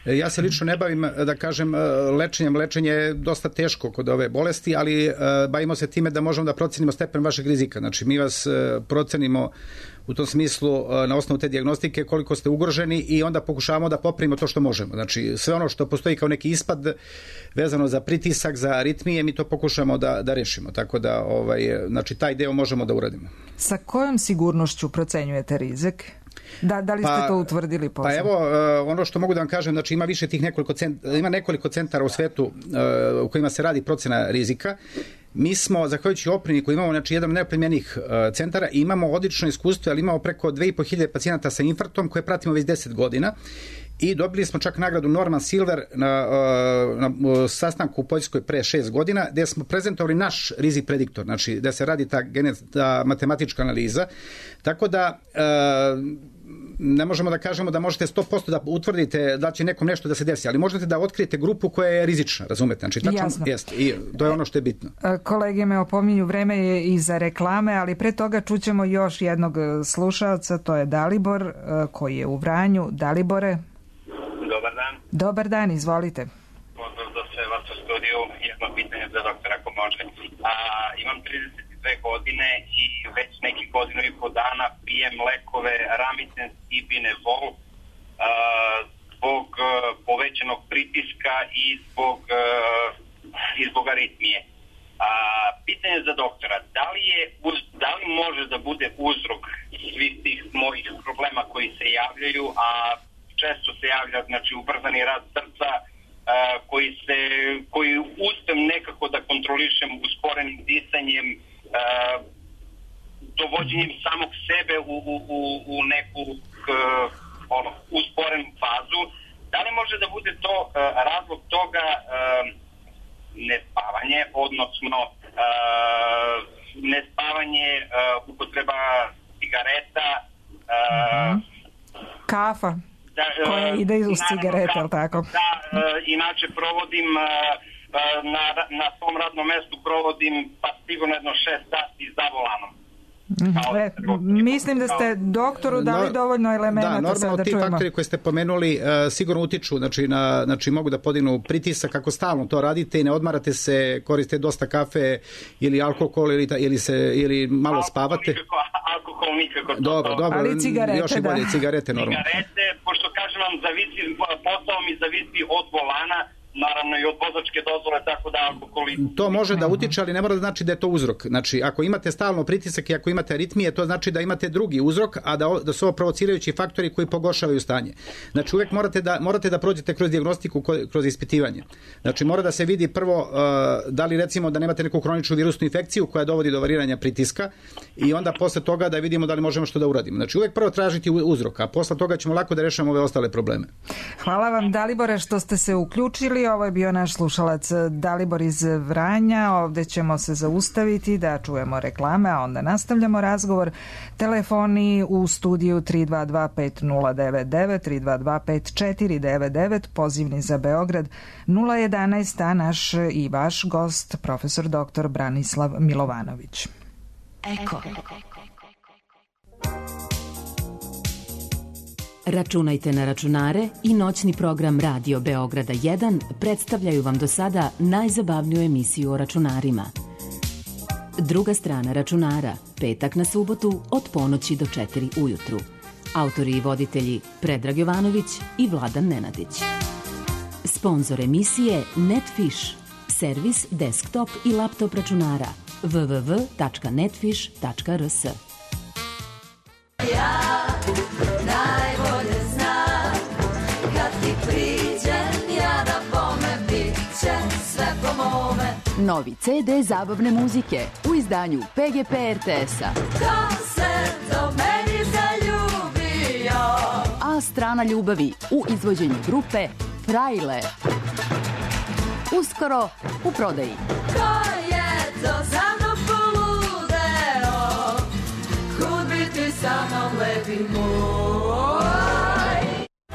Ja se lično ne bavim, da kažem, lečenjem. Lečenje je dosta teško kod ove bolesti, ali bavimo se time da možemo da procenimo stepen vašeg rizika. Znači, mi vas procenimo u tom smislu na osnovu te dijagnostike koliko ste ugroženi i onda pokušavamo da popravimo to što možemo. Znači, sve ono što postoji kao neki ispad vezano za pritisak, za aritmije, mi to pokušamo da rešimo. Tako da, znači, taj deo možemo da uradimo. Sa kojom sigurnošću procenjujete rizik? Da li ste to utvrdili posle? Pa evo, ono što mogu da vam kažem, znači ima nekoliko centara u svetu u kojima se radi procena rizika. Mi smo, zahvaljujući opremi koju imamo, znači jedan od najoplemenijih centara, imamo odlično iskustvo, ali imamo preko 2500 pacijenata sa infarktom koje pratimo već 10 godina. I dobili smo čak nagradu Norman Silver na sastanku u Poljskoj pre 6 godina, gde smo prezentovali naš rizik prediktor, znači da se radi ta matematička analiza. Tako da ne možemo da kažemo da možete 100% da utvrdite da će nekom nešto da se desi, ali možete da otkrijete grupu koja je rizična, razumete? Znači, tačno jeste. I to je ono što je bitno. Kolege me opominju, vreme je i za reklame, ali pre toga čućemo još jednog slušalca, to je Dalibor, koji je u Vranju. Dalibore? Dobar dan. Dobar dan, izvolite. Pozdrav za sve vas u studiju. Jedno pitanje za doktora, ako može. Imam 32 godine i već nekih godinu i po dana pijem lekove Ramicen i Binevol zbog povećanog pritiska i zbog aritmije. Pitanje za doktora, da li može da bude uzrok svih tih mojih problema koji se javljaju, a često se javlja, znači, ubrzani rad srca, koji uspem nekako da kontrolišem usporenim disanjem, dovođenjem samog sebe u neku usporenu fazu. Da li može da bude to razlog toga nespavanje, odnosno nespavanje, upotreba cigareta, kafa koja ide uz cigarete, ali tako? Da, inače provodim na svom radnom mestu pa sigurno jedno 6 sati za volanom. Mislim da ste doktoru dali dovoljno elemenata. Da, normalno ti faktori koje ste pomenuli sigurno utiču, znači mogu da podignu pritisak ako stalno to radite i ne odmarate se, koriste dosta kafe ili alkohol ili malo spavate. Alkohol nikako. Dobro, ali cigarete, još i bolje, cigarete normalno. Cigarete, pošto kažem vam, posao mi zavisi od volana, naravno i od vozačke dozvole, tako da alkohol... To može da utiče, ali ne mora da znači da je to uzrok. Znači, ako imate stalno pritisak i ako imate aritmije, to znači da imate drugi uzrok, a da su ovo provocirajući faktori koji pogoršavaju stanje. Znači, uvek morate da prođete kroz dijagnostiku, kroz ispitivanje. Znači, mora da se vidi prvo da li, recimo, da nemate neku hroničnu virusnu infekciju koja dovodi do variranja pritiska i onda posle toga da vidimo da li možemo što da uradimo. Znači, uvek prvo tražiti uzrok, a posle toga ćemo lako da rešimo ove ostale probleme. Hvala vam, Dalibore, što ste se uključili. čuli, ovo je bio naš slušalac Dalibor iz Vranja. Ovde ćemo se zaustaviti da čujemo reklame, a onda nastavljamo razgovor. Telefoni u studiju 322-5099, 322-5499, pozivni za Beograd 011, a naš i vaš gost, profesor dr. Branislav Milovanović. Eko. Računajte na računare i noćni program Radio Beograda 1 predstavljaju vam do sada najzabavniju emisiju o računarima. Druga strana računara, petak na subotu od ponoći do 4 ujutru. Autori i voditelji Predrag Jovanović i Vladan Nenadić. Sponzor emisije Netfish, servis desktop i laptop računara www.netfish.rs. Ja najbolje znam kad ti priđem ja da bome bit će sve po mome. Novi CD zabavne muzike u izdanju PGP RTS-a. Ko se do meni zaljubio? A strana ljubavi u izvođenju grupe Frajle. Uskoro u prodaji. Ko je to za mnom poludeo? Kud bi ti sa mnom lepi moj?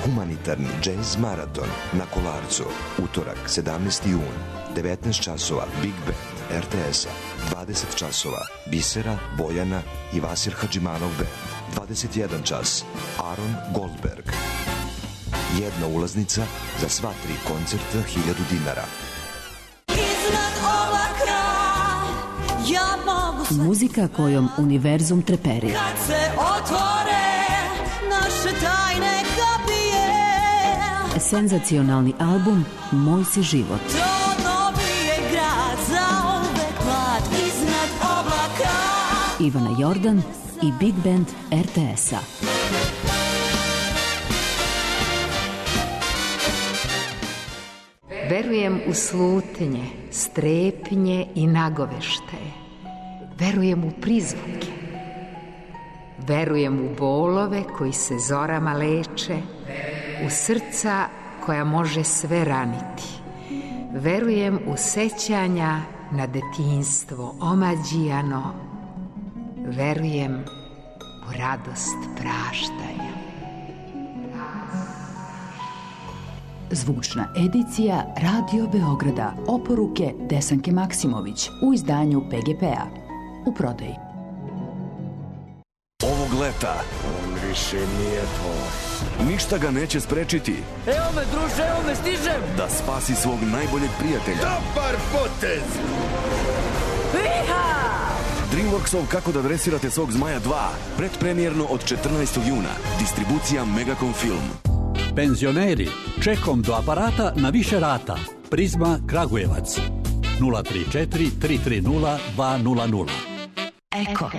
Humanitarni džez maraton na Kolarcu. Utorak 17. jun. 19 časova Big Band RTS-a. 20 časova Bisera, Bojana i Vasir Hadžimanov Band. 21 čas Aaron Goldberg. Jedna ulaznica za sva 3 koncerta 1000 dinara. Iznad oblaka ja mogu sve. Muzika kojom univerzum treperi. Kad se otvore naše tajne kapije. Senzacionalni album Moj si život. To novi je grad za uvek mlad iznad oblaka. Ivana Jordan i Big Band RTS-a. Verujem u slutnje, strepnje i nagoveštaje. Verujem u prizvuke. Verujem u bolove koji se zorama leče, u srca koja može sve raniti. Verujem u sećanja na detinjstvo omađijano. Verujem u radost praštanja. Zvučna edicija Radio Beograda. Oporuke Desanke Maksimović u izdanju PGP-a. U prodaji. Ovog leta on više nije tvoj. Ništa ga neće sprečiti. Evo me, druže, evo me, stižem! Da spasi svog najboljeg prijatelja. Dobar potez! Iha! Dreamworksov Kako da dresirate svog zmaja 2. Predpremjerno od 14. juna. Distribucija Megacom Film. Penzioneri, čekom do aparata na više rata. Prizma Kragujevac. 034 330 200. Eko.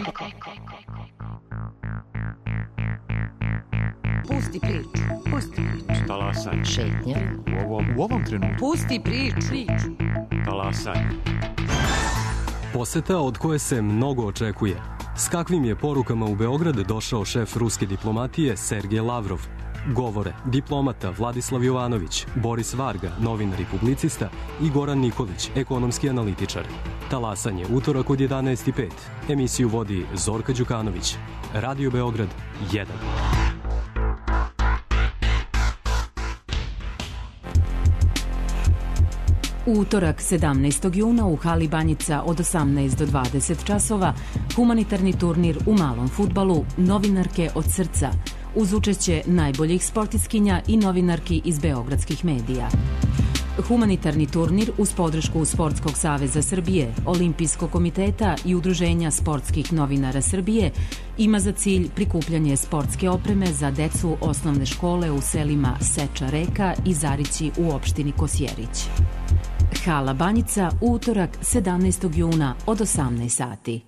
Pusti priču. Pusti priču. Talasanje. Šetnja. U ovom trenutku. Pusti priču. Talasanje. Poseta od koje se mnogo očekuje. S kakvim je porukama u Beograd došao šef ruske diplomatije Sergej Lavrov? Govore diplomata Vladislav Jovanović, Boris Varga, novinar i publicista, i Goran Nikolić, ekonomski analitičar. Talasanje, utorak od 11:05. Emisiju vodi Zorka Đukanović. Radio Beograd 1. U utorak 17. juna u hali Banjica od 18 do 20 časova humanitarni turnir u malom fudbalu Novinarke od srca uz učešće najboljih sportistkinja i novinarki iz beogradskih medija. Humanitarni turnir uz podršku Sportskog saveza Srbije, Olimpijskog komiteta i Udruženja sportskih novinara Srbije ima za cilj prikupljanje sportske opreme za decu osnovne škole u selima Seča Reka i Zarići u opštini Kosjerić. Hala Banjica u utorak 17. juna od 18 sati.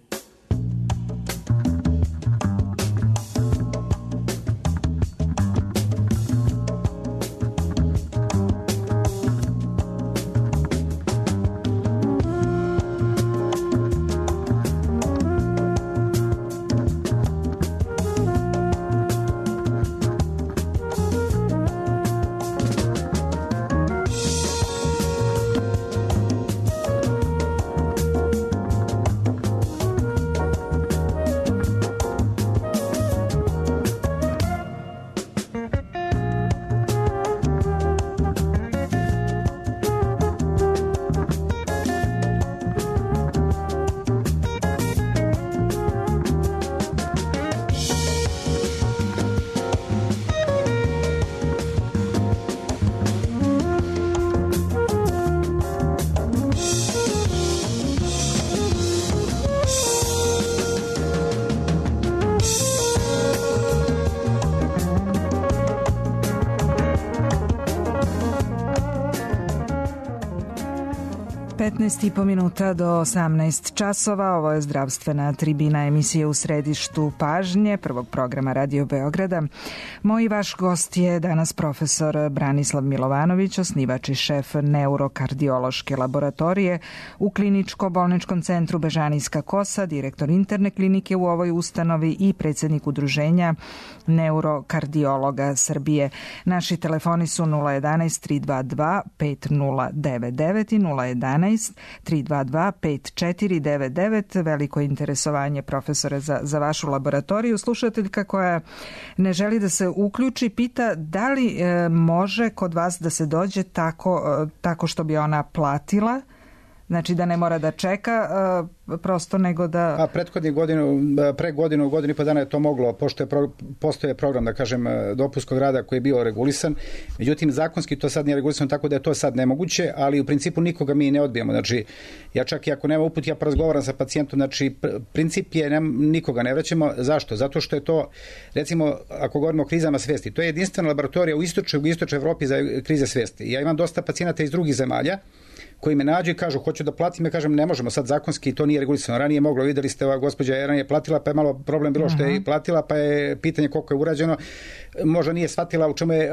19,5 minuta do 18 časova. Ovo je zdravstvena tribina emisije U središtu pažnje prvog programa Radio Beograda. Moj vaš gost je danas profesor Branislav Milovanović, osnivač i šef neurokardiološke laboratorije u kliničko-bolničkom centru Bežanijska Kosa, direktor interne klinike u ovoj ustanovi i predsjednik udruženja neurokardiologa Srbije. Naši telefoni su 011 322 5099 i 011 322 5499. Veliko interesovanje, profesore, za vašu laboratoriju. Slušateljka koja ne želi da se uključi pita da li može kod vas da se dođe tako što bi ona platila, znači da ne mora da čeka prosto nego da... Pre godinu i po dana je to moglo, pošto postoje program, da kažem, dopunskog rada koji je bio regulisan. Međutim, zakonski to sad nije regulisano, tako da je to sad nemoguće, ali u principu nikoga mi ne odbijamo. Znači, ja čak i ako nema uput, ja porazgovaram sa pacijentom, znači, princip je nikoga ne vraćamo. Zašto? Zato što je to, recimo, ako govorimo o krizama svesti, to je jedinstvena laboratorija u istočnoj Evropi za krize svesti. Ja imam dosta pacijenata iz drugih zemalja koji me nađu i kažu hoću da platim, ja kažem ne možemo, sad zakonski to nije regulisano. Ranije je moglo, videli ste, ova gospođa Eran je platila, pa je malo problem bilo što je platila, pa je pitanje koliko je urađeno, možda nije shvatila u čemu je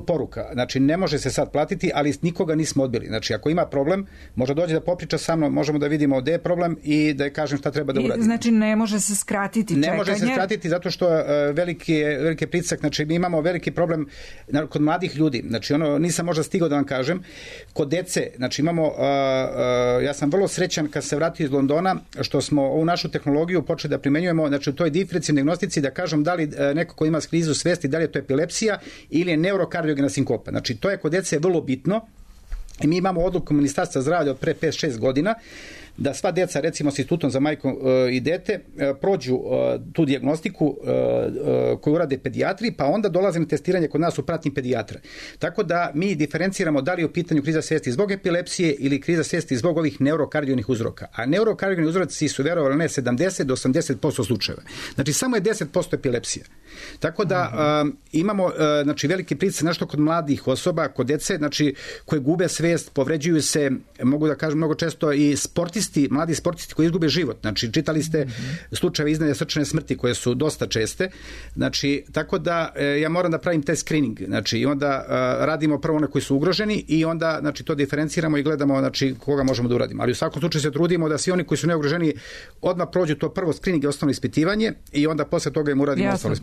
poruka. Znači ne može se sad platiti, ali nikoga nismo odbili. Znači ako ima problem, može dođe da popriča sa mnom, možemo da vidimo gde je problem i da je kažem šta treba da uradi. Znači ne može se skratiti čekanje? Ne može se skratiti zato što veliki pritisak, znači mi imamo veliki problem kod mladih ljudi. Znači nisam možda stigao da vam kažem, kod dece, znači ja sam vrlo srećan kad se vratio iz Londona što smo ovu našu tehnologiju počeli da primenjujemo, znači u toj diferencijalnoj dijagnostici da kažem da li neko ko ima krizu svesti, da li je to epilepsija ili je neurokardiogena sinkopa. Znači to je kod dece vrlo bitno i mi imamo odluku Ministarstva zdravlja od pre 5-6 godina da sva deca, recimo s institutom za majku i dete, prođu tu dijagnostiku koju urade pedijatri, pa onda dolaze na testiranje kod nas u pratnji pedijatra. Tako da mi diferenciramo da li je u pitanju kriza svesti zbog epilepsije ili kriza svesti zbog ovih neurokardiogenih uzroka. A neurokardiogenih uzroci su, verovali ne, 70 do 80% slučajeva. Znači samo je 10% epilepsija. Tako da imamo znači, veliki pritisak nešto kod mladih osoba, kod dece, znači koje gube svest, povređuju se, mogu da kažem mnogo često i mladi sportisti koji izgube život. Znači, čitali ste slučajeve iznenadne srčane smrti koje su dosta česte. Znači, tako da ja moram da pravim taj screening. Znači, i onda radimo prvo one koji su ugroženi i onda, znači, to diferenciramo i gledamo, znači, koga možemo da uradimo. Ali u svakom slučaju se trudimo da svi oni koji su neugroženi odmah prođu to prvo screening i osnovno ispitivanje i onda posle toga im uradimo ostalo.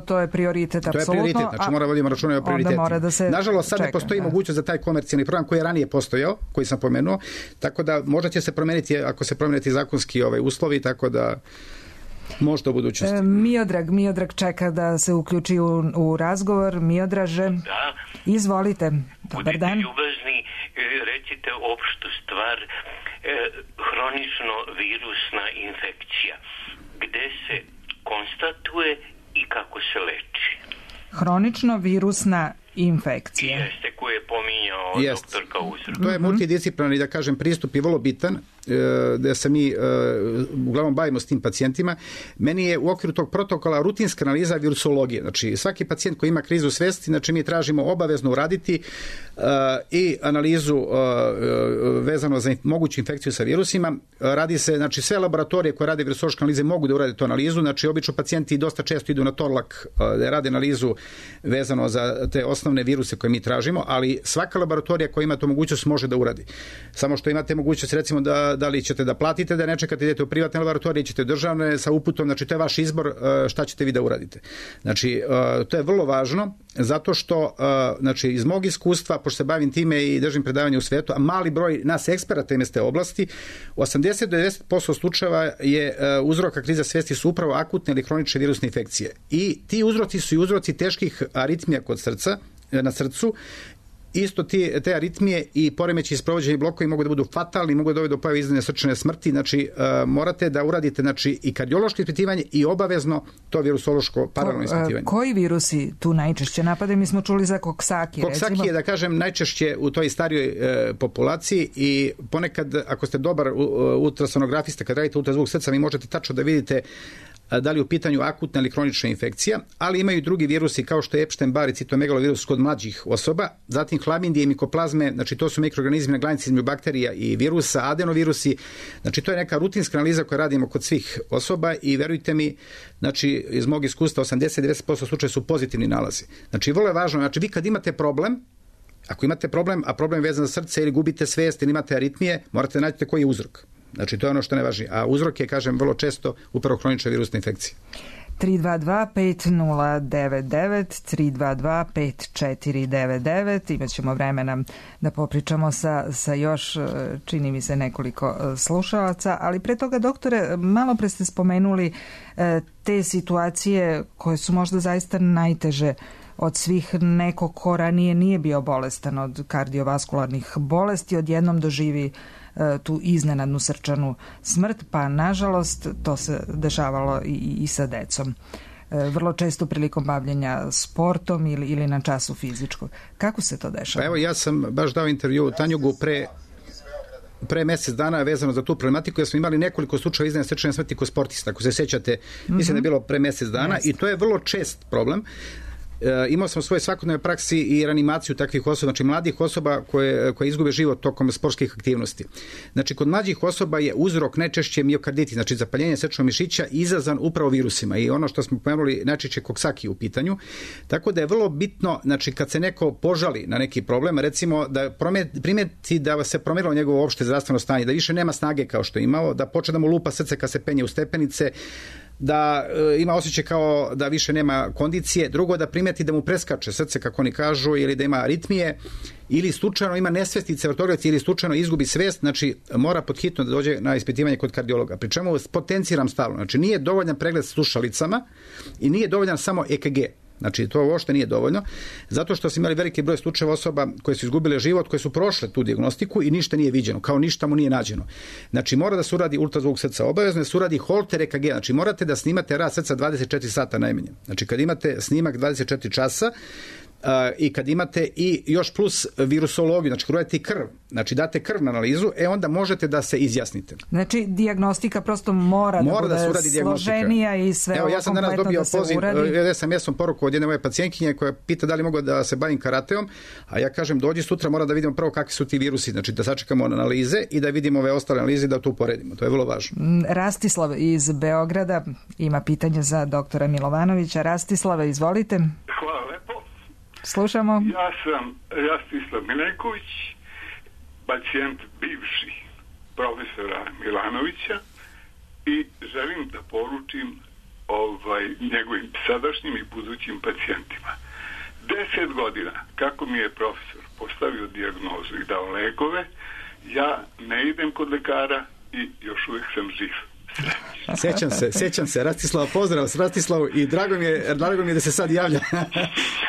To je prioritet, apsolutno. To je prioritet, znači moramo voditi računa o prioritetima. Nažalost, sad ne postoji mogućnost za taj komercijalni program koji je ranije postojao, koji sam pomenuo, tako da možda će se promeniti ako se promeniti zakonski uslovi, tako da možda u budućnosti. Miodrag čeka da se uključi u razgovor. Miodraže, izvolite. Dobar dan. Budite ljubazni, recite opštu stvar, hronično virusna infekcija. Gde se konstatuje i kako se leči? Hronično virusna infekcija. Jeste, koju je pominjao doktor Kauzar. To je multidisciplinarni, da kažem, pristup i vrlo bitan, da se mi uglavnom bavimo s tim pacijentima. Meni je u okviru tog protokola rutinska analiza virusologije. Znači, svaki pacijent koji ima krizu svesti, znači mi tražimo obavezno uraditi i analizu vezano za moguću infekciju sa virusima. Radi se, znači sve laboratorije koje rade virusološke analize mogu da urade tu analizu. Znači, obično pacijenti dosta često idu na Torlak da rade analizu vezano za te osnovne viruse koje mi tražimo, ali svaka laboratorija koja ima tu mogućnost može da uradi. Samo što imate mogućnost, recimo, da li ćete da platite, da ne čekate, idete u privatne laboratorije, ćete u državne sa uputom, znači to je vaš izbor šta ćete vi da uradite. Znači, to je vrlo važno, zato što, znači, iz mog iskustva, pošto se bavim time i držim predavanje u svetu, a mali broj nas eksperata ima iz te oblasti, 80 do 90% slučajeva je uzroka kriza svesti su upravo akutne ili hronične virusne infekcije. I ti uzroci su i uzroci teških aritmija kod srca, na srcu. Isto te aritmije i poremeći sprovođenja blokovi mogu da budu fatalni, mogu da dovedu do pojave iznenadne srčane smrti. Znači, morate da uradite, znači, i kardiološko ispitivanje i obavezno to virusološko paralelno ispitivanje. Koji virusi tu najčešće napadaju? Mi smo čuli za koksaki. Koksaki je, da kažem, najčešće u toj starijoj populaciji i ponekad, ako ste dobar ultrasonografista, kad radite ultrazvuk srca, vi možete tačno da vidite da li u pitanju akutna ili kronična infekcija, ali imaju i drugi virusi kao što je Epstein-Barr i citomegalovirus kod mlađih osoba, zatim hlamidije i mikoplazme, znači to su mikroorganizmi na granici između bakterija i virusa, adenovirusi, znači to je neka rutinska analiza koju radimo kod svih osoba i verujte mi, znači iz mog iskustva 80-90% slučaja su pozitivni nalazi. Znači vrlo je važno, znači vi kad imate problem, ako imate problem, a problem je vezan za srce ili gubite svijest ili imate aritmije, morate naći koji je uzrok. Znači, to je ono što je najvažnije. A uzrok je, kažem, vrlo često upravo kronična virusna infekcija. 322-5099, 322-5499. Imat ćemo vremena da popričamo sa još, čini mi se, nekoliko slušalaca. Ali pre toga, doktore, malo pre ste spomenuli te situacije koje su možda zaista najteže od svih. Neko ko ranije nije bio bolestan od kardiovaskularnih bolesti, odjednom doživi tu iznenadnu srčanu smrt, pa nažalost to se dešavalo i sa decom. Vrlo često prilikom bavljenja sportom ili na času fizičkog. Kako se to dešava? Pa evo, ja sam baš dao intervju Tanjugu pre mjesec dana vezano za tu problematiku, jer smo imali nekoliko slučajeva iznenadne srčane smrti kod sportista, ako se sjećate, mislim da je bilo pre mjesec dana i to je vrlo čest problem. Imao sam u svojoj svakodnevnoj praksi i reanimaciju takvih osoba, znači mladih osoba koje izgube život tokom sportskih aktivnosti. Znači kod mlađih osoba je uzrok najčešće miokarditis, znači zapaljenje srčanog mišića izazvan upravo virusima i ono što smo pomenuli najčešće Coxsackie u pitanju. Tako da je vrlo bitno, znači kad se neko požali na neki problem, recimo da primeti da se promijenilo njegovo opšte zdravstveno stanje, da više nema snage kao što je imao, da počne da mu lupa srce kad se penje u stepenice, da ima osjećaj kao da više nema kondicije, drugo da primeti da mu preskače srce kako oni kažu ili da ima aritmije ili slučajno ima nesvestice vrtoglavice ili slučajno izgubi svijest, znači mora podhitno da dođe na ispitivanje kod kardiologa. Pri čemu potenciram stalno, znači nije dovoljan pregled slušalicama i nije dovoljan samo EKG. Znači, to uopšte nije dovoljno, zato što smo imali veliki broj slučajeva osoba koje su izgubile život, koje su prošle tu dijagnostiku i ništa nije viđeno, kao ništa mu nije nađeno. Znači, mora da se uradi ultrazvuk srca, obavezno da se uradi Holter EKG, znači morate da snimate rad srca 24 sata najmanje. Znači, kad imate snimak 24 časa, i kad imate i još plus virusologiju, znači kad uradite krv, znači date krv na analizu, onda možete da se izjasnite. Znači dijagnostika prosto mora da bude složenija i sve ovo kompletno da se uradi. Ja sam danas dobio poziv, SMS-om poruku od jedne moje pacijentkinje koja pita da li mogu da se bavim karateom, a ja kažem dođi sutra, mora da vidimo prvo kakvi su ti virusi, znači da sačekamo analize i da vidimo ove ostale analize da to uporedimo. To je vrlo važno. Rastislav iz Beograda ima pitanje za doktora Milovanovića. Rastislave, izvolite. Hvala lepo. Slušamo. Ja sam Rastislav Mileković, pacijent bivši profesora Milanovića i želim da poručim njegovim sadašnjim i budućim pacijentima. 10 godina kako mi je profesor postavio dijagnozu i dao lekove, ja ne idem kod lekara i još uvijek sam živ. Sjećam se, Rastislav, pozdrav s Rastislavu i drago mi je da se sad javlja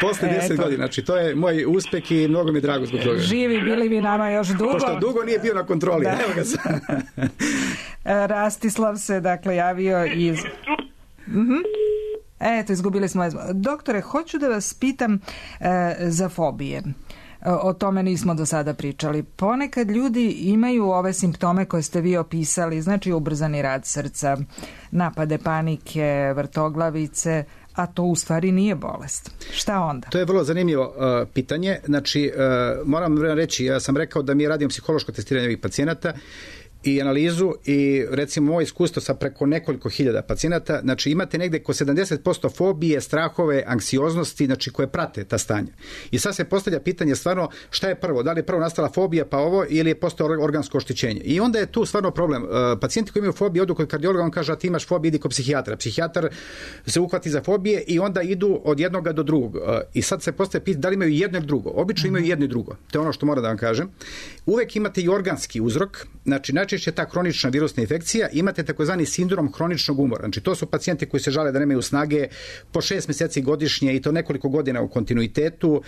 posle 10 godina, znači to je moj uspeh i mnogo mi je drago zbog toga. Živi bili vi nama još dugo. Pošto dugo nije bio na kontroli, da. Evo ga sad. Rastislav se dakle javio iz... Eto, izgubili smo. Doktore, hoću da vas pitam za fobije. O tome nismo do sada pričali. Ponekad ljudi imaju ove simptome koje ste vi opisali, znači ubrzani rad srca, napade panike, vrtoglavice, a to u stvari nije bolest. Šta onda? To je vrlo zanimljivo pitanje. Znači, moram reći, ja sam rekao da mi radimo psihološko testiranje ovih pacijenata i analizu i recimo moje iskustvo sa preko nekoliko hiljada pacijenata, znači imate negde oko 70% fobije, strahove, anksioznosti, znači koje prate ta stanja. I sad se postavlja pitanje stvarno šta je prvo, da li je prvo nastala fobija pa ovo ili je postao organsko oštećenje. I onda je tu stvarno problem. Pacijenti koji imaju fobiju odu kod kardiologa, on kaže a ti imaš fobiju, idi kod psihijatra. Psihijatar se uhvati za fobije i onda idu od jednoga do drugog. I sad se postavlja pitanje da li imaju jedno ili drugo. Obično imaju jedno i drugo. To je ono što moram da vam kažem. Uvek imate i organski uzrok, znači najčešće ta kronična virusna infekcija, imate takozvani sindrom hroničnog umora. Znači to su pacijenti koji se žale da nemaju snage po 6 mjeseci godišnje i to nekoliko godina u kontinuitetu,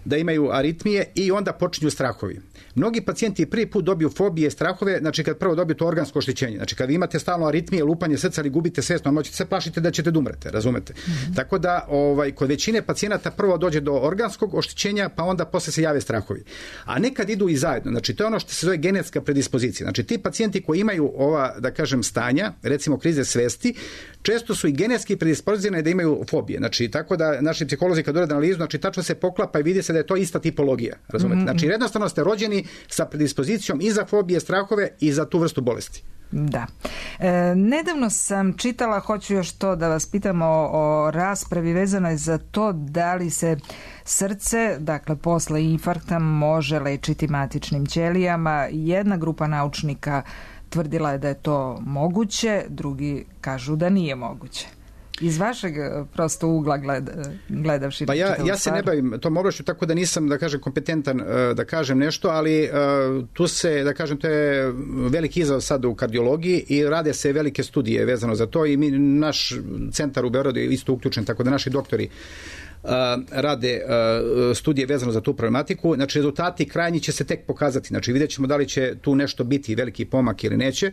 da imaju aritmije i onda počinju strahovi. Mnogi pacijenti prvi put dobiju fobije, strahove, znači kad prvo dobiju to organsko oštećenje. Znači kad vi imate stalno aritmije, lupanje srca ili gubite svijest, možete se plašiti da ćete da umrete, razumete? Tako da kod većine pacijenata prvo dođe do organskog oštećenja, pa onda posle se jave strahovi. A nekad idu i zajedno. Znači to je ono što se zove genetska predispozicija. Znači ti pacijenti koji imaju ova, da kažem, stanja, recimo krize svesti, često su i genetski predispozirani da imaju fobije. Znači, tako da naši psiholozi kad urade analizu, znači tačno se poklapa i vidi se da je to ista tipologija. Razumete? Znači, jednostavno ste rođeni sa predispozicijom i za fobije, strahove i za tu vrstu bolesti. Da. Nedavno sam čitala, hoću još to da vas pitam o raspravi vezanoj za to da li se srce, dakle posle infarkta, može lečiti matičnim ćelijama. Jedna grupa naučnika tvrdila je da je to moguće, drugi kažu da nije moguće. Iz vašeg prosto ugla gledavši... Pa ja se ne bavim tom oblašću, tako da nisam, da kažem, kompetentan da kažem nešto, ali tu se, da kažem, to je veliki izazov sad u kardiologiji i rade se velike studije vezano za to i naš centar u Beogradu je isto uključen, tako da naši doktori rade studije vezano za tu problematiku. Znači, rezultati krajnji će se tek pokazati. Znači, vidjet ćemo da li će tu nešto biti veliki pomak ili neće.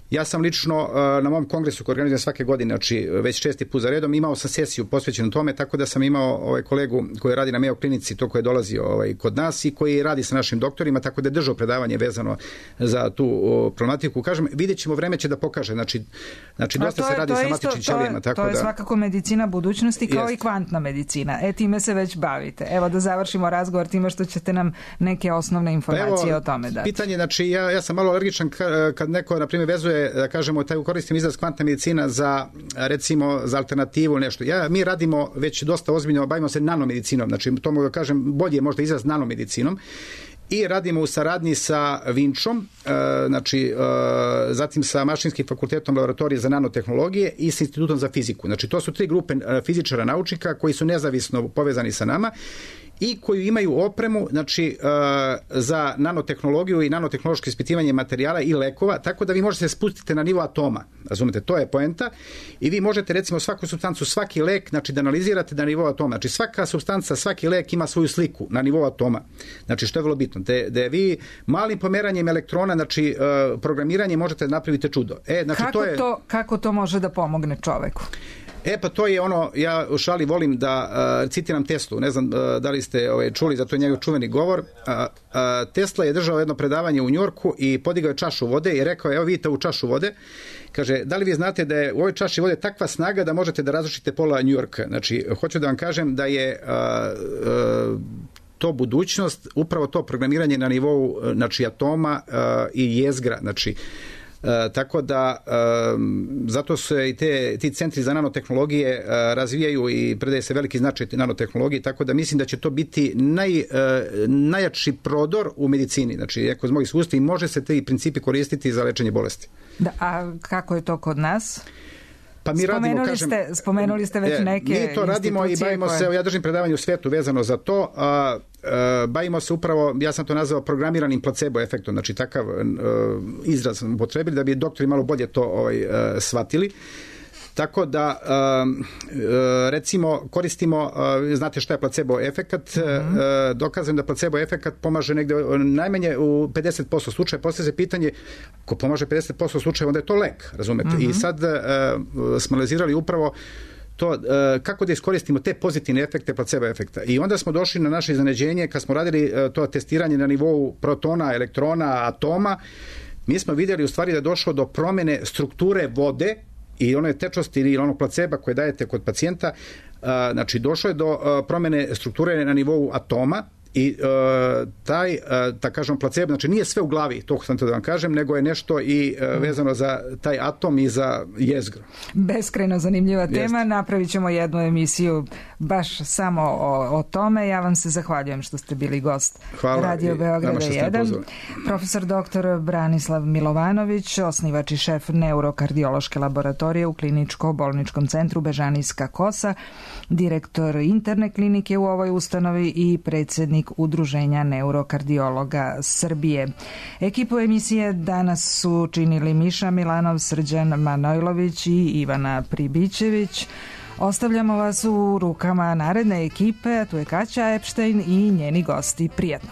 Ja sam lično na mom kongresu koji organizujem svake godine, znači već 6. put za redom, imao sam sesiju posvećenu tome, tako da sam imao kolegu koji radi na Mayo klinici, to koji je dolazio kod nas i koji radi sa našim doktorima, tako da je držao predavanje vezano za tu problematiku. Kažem, vidjet ćemo, vreme će da pokaže. Znači dosta se radi sa matičnim ćelijama. To je svakako medicina budućnosti kao i kvantna medicina. Time se već bavite. Evo da završimo razgovor time što ćete nam neke osnovne informacije o tome dati. Pitanje, znači ja sam malo alergičan kad neko, na primjer, vezuje, da kažemo, taj koristim izraz kvantna medicina za, recimo, za alternativu nešto. Mi radimo već dosta ozbiljno, bavimo se nanomedicinom, znači to mogu da kažem, bolje je možda izraz nanomedicinom, i radimo u saradnji sa Vinčom, znači zatim sa Mašinskim fakultetom laboratorije za nanotehnologije i sa Institutom za fiziku. Znači to su 3 grupe fizičara naučnika koji su nezavisno povezani sa nama i koji imaju opremu, znači, za nanotehnologiju i nanotehnološko ispitivanje materijala i lekova, tako da vi možete se spustiti na nivo atoma. Razumete, to je poenta. I vi možete, recimo, svaku supstancu, svaki lek, znači, da analizirate na nivou atoma. Znači, svaka supstanca, svaki lek ima svoju sliku na nivou atoma. Znači, što je vrlo bitno. Da vi malim pomeranjem elektrona, znači, programiranjem možete napraviti čudo. Znači, kako to može da pomogne čoveku? Pa to je ono, ja u šali volim da citiram Teslu, ne znam da li ste čuli, za to je njegov čuveni govor. Tesla je držao jedno predavanje u Njorku i podigao je čašu vode i rekao je, evo vidite ovu čašu vode, kaže, da li vi znate da je u ovoj čaši vode takva snaga da možete da razrušite pola Njorka? Znači, hoću da vam kažem da je to budućnost, upravo to programiranje na nivou, znači, atoma i jezgra, znači, tako da zato se i ti centri za nanotehnologije razvijaju i predaje se veliki značaj nanotehnologiji, tako da mislim da će to biti najjači prodor u medicini. Znači, ako iz mojih iskustva, može se ti principi koristiti za lečenje bolesti. Da, a kako je to kod nas? Pa mi radimo, spomenuli ste već neke mi to radimo i bavimo se, ja držim predavanje u svetu vezano za to, bavimo se upravo, ja sam to nazvao programiranim placebo efektom, znači takav izraz upotrebili da bi doktori malo bolje to shvatili. Tako da, recimo, koristimo, znate šta je placebo efekat, dokazam da placebo efekat pomaže negde najmanje u 50% slučaja. Poslije se pitanje, ko pomaže 50% slučaja, onda je to lek, razumete? I sad smo analizirali upravo to, kako da iskoristimo te pozitivne efekte placebo efekta. I onda smo došli na naše iznenađenje, kad smo radili to testiranje na nivou protona, elektrona, atoma, mi smo vidjeli u stvari da je došlo do promjene strukture vode i one tečnosti ili onog placeba koje dajete kod pacijenta, znači došlo je do promjene strukture na nivou atoma i taj, da kažem, placebo, znači nije sve u glavi, to sam to da vam kažem, nego je nešto i vezano za taj atom i za jezgro. Beskrajno zanimljiva tema, napravit ćemo jednu emisiju baš samo o tome. Ja vam se zahvaljujem što ste bili gost Radio Beograda 1. Profesor dr. Branislav Milovanović, osnivač i šef neurokardiološke laboratorije u kliničko-bolničkom centru Bežanijska Kosa, direktor interne klinike u ovoj ustanovi i predsjednik Udruženja neurokardiologa Srbije. Ekipu emisije danas su činili Miša Milanov, Srđan Manojlović i Ivana Pribićević. Ostavljamo vas u rukama naredne ekipe, tu je Kaća Epštajn i njeni gosti. Prijetno!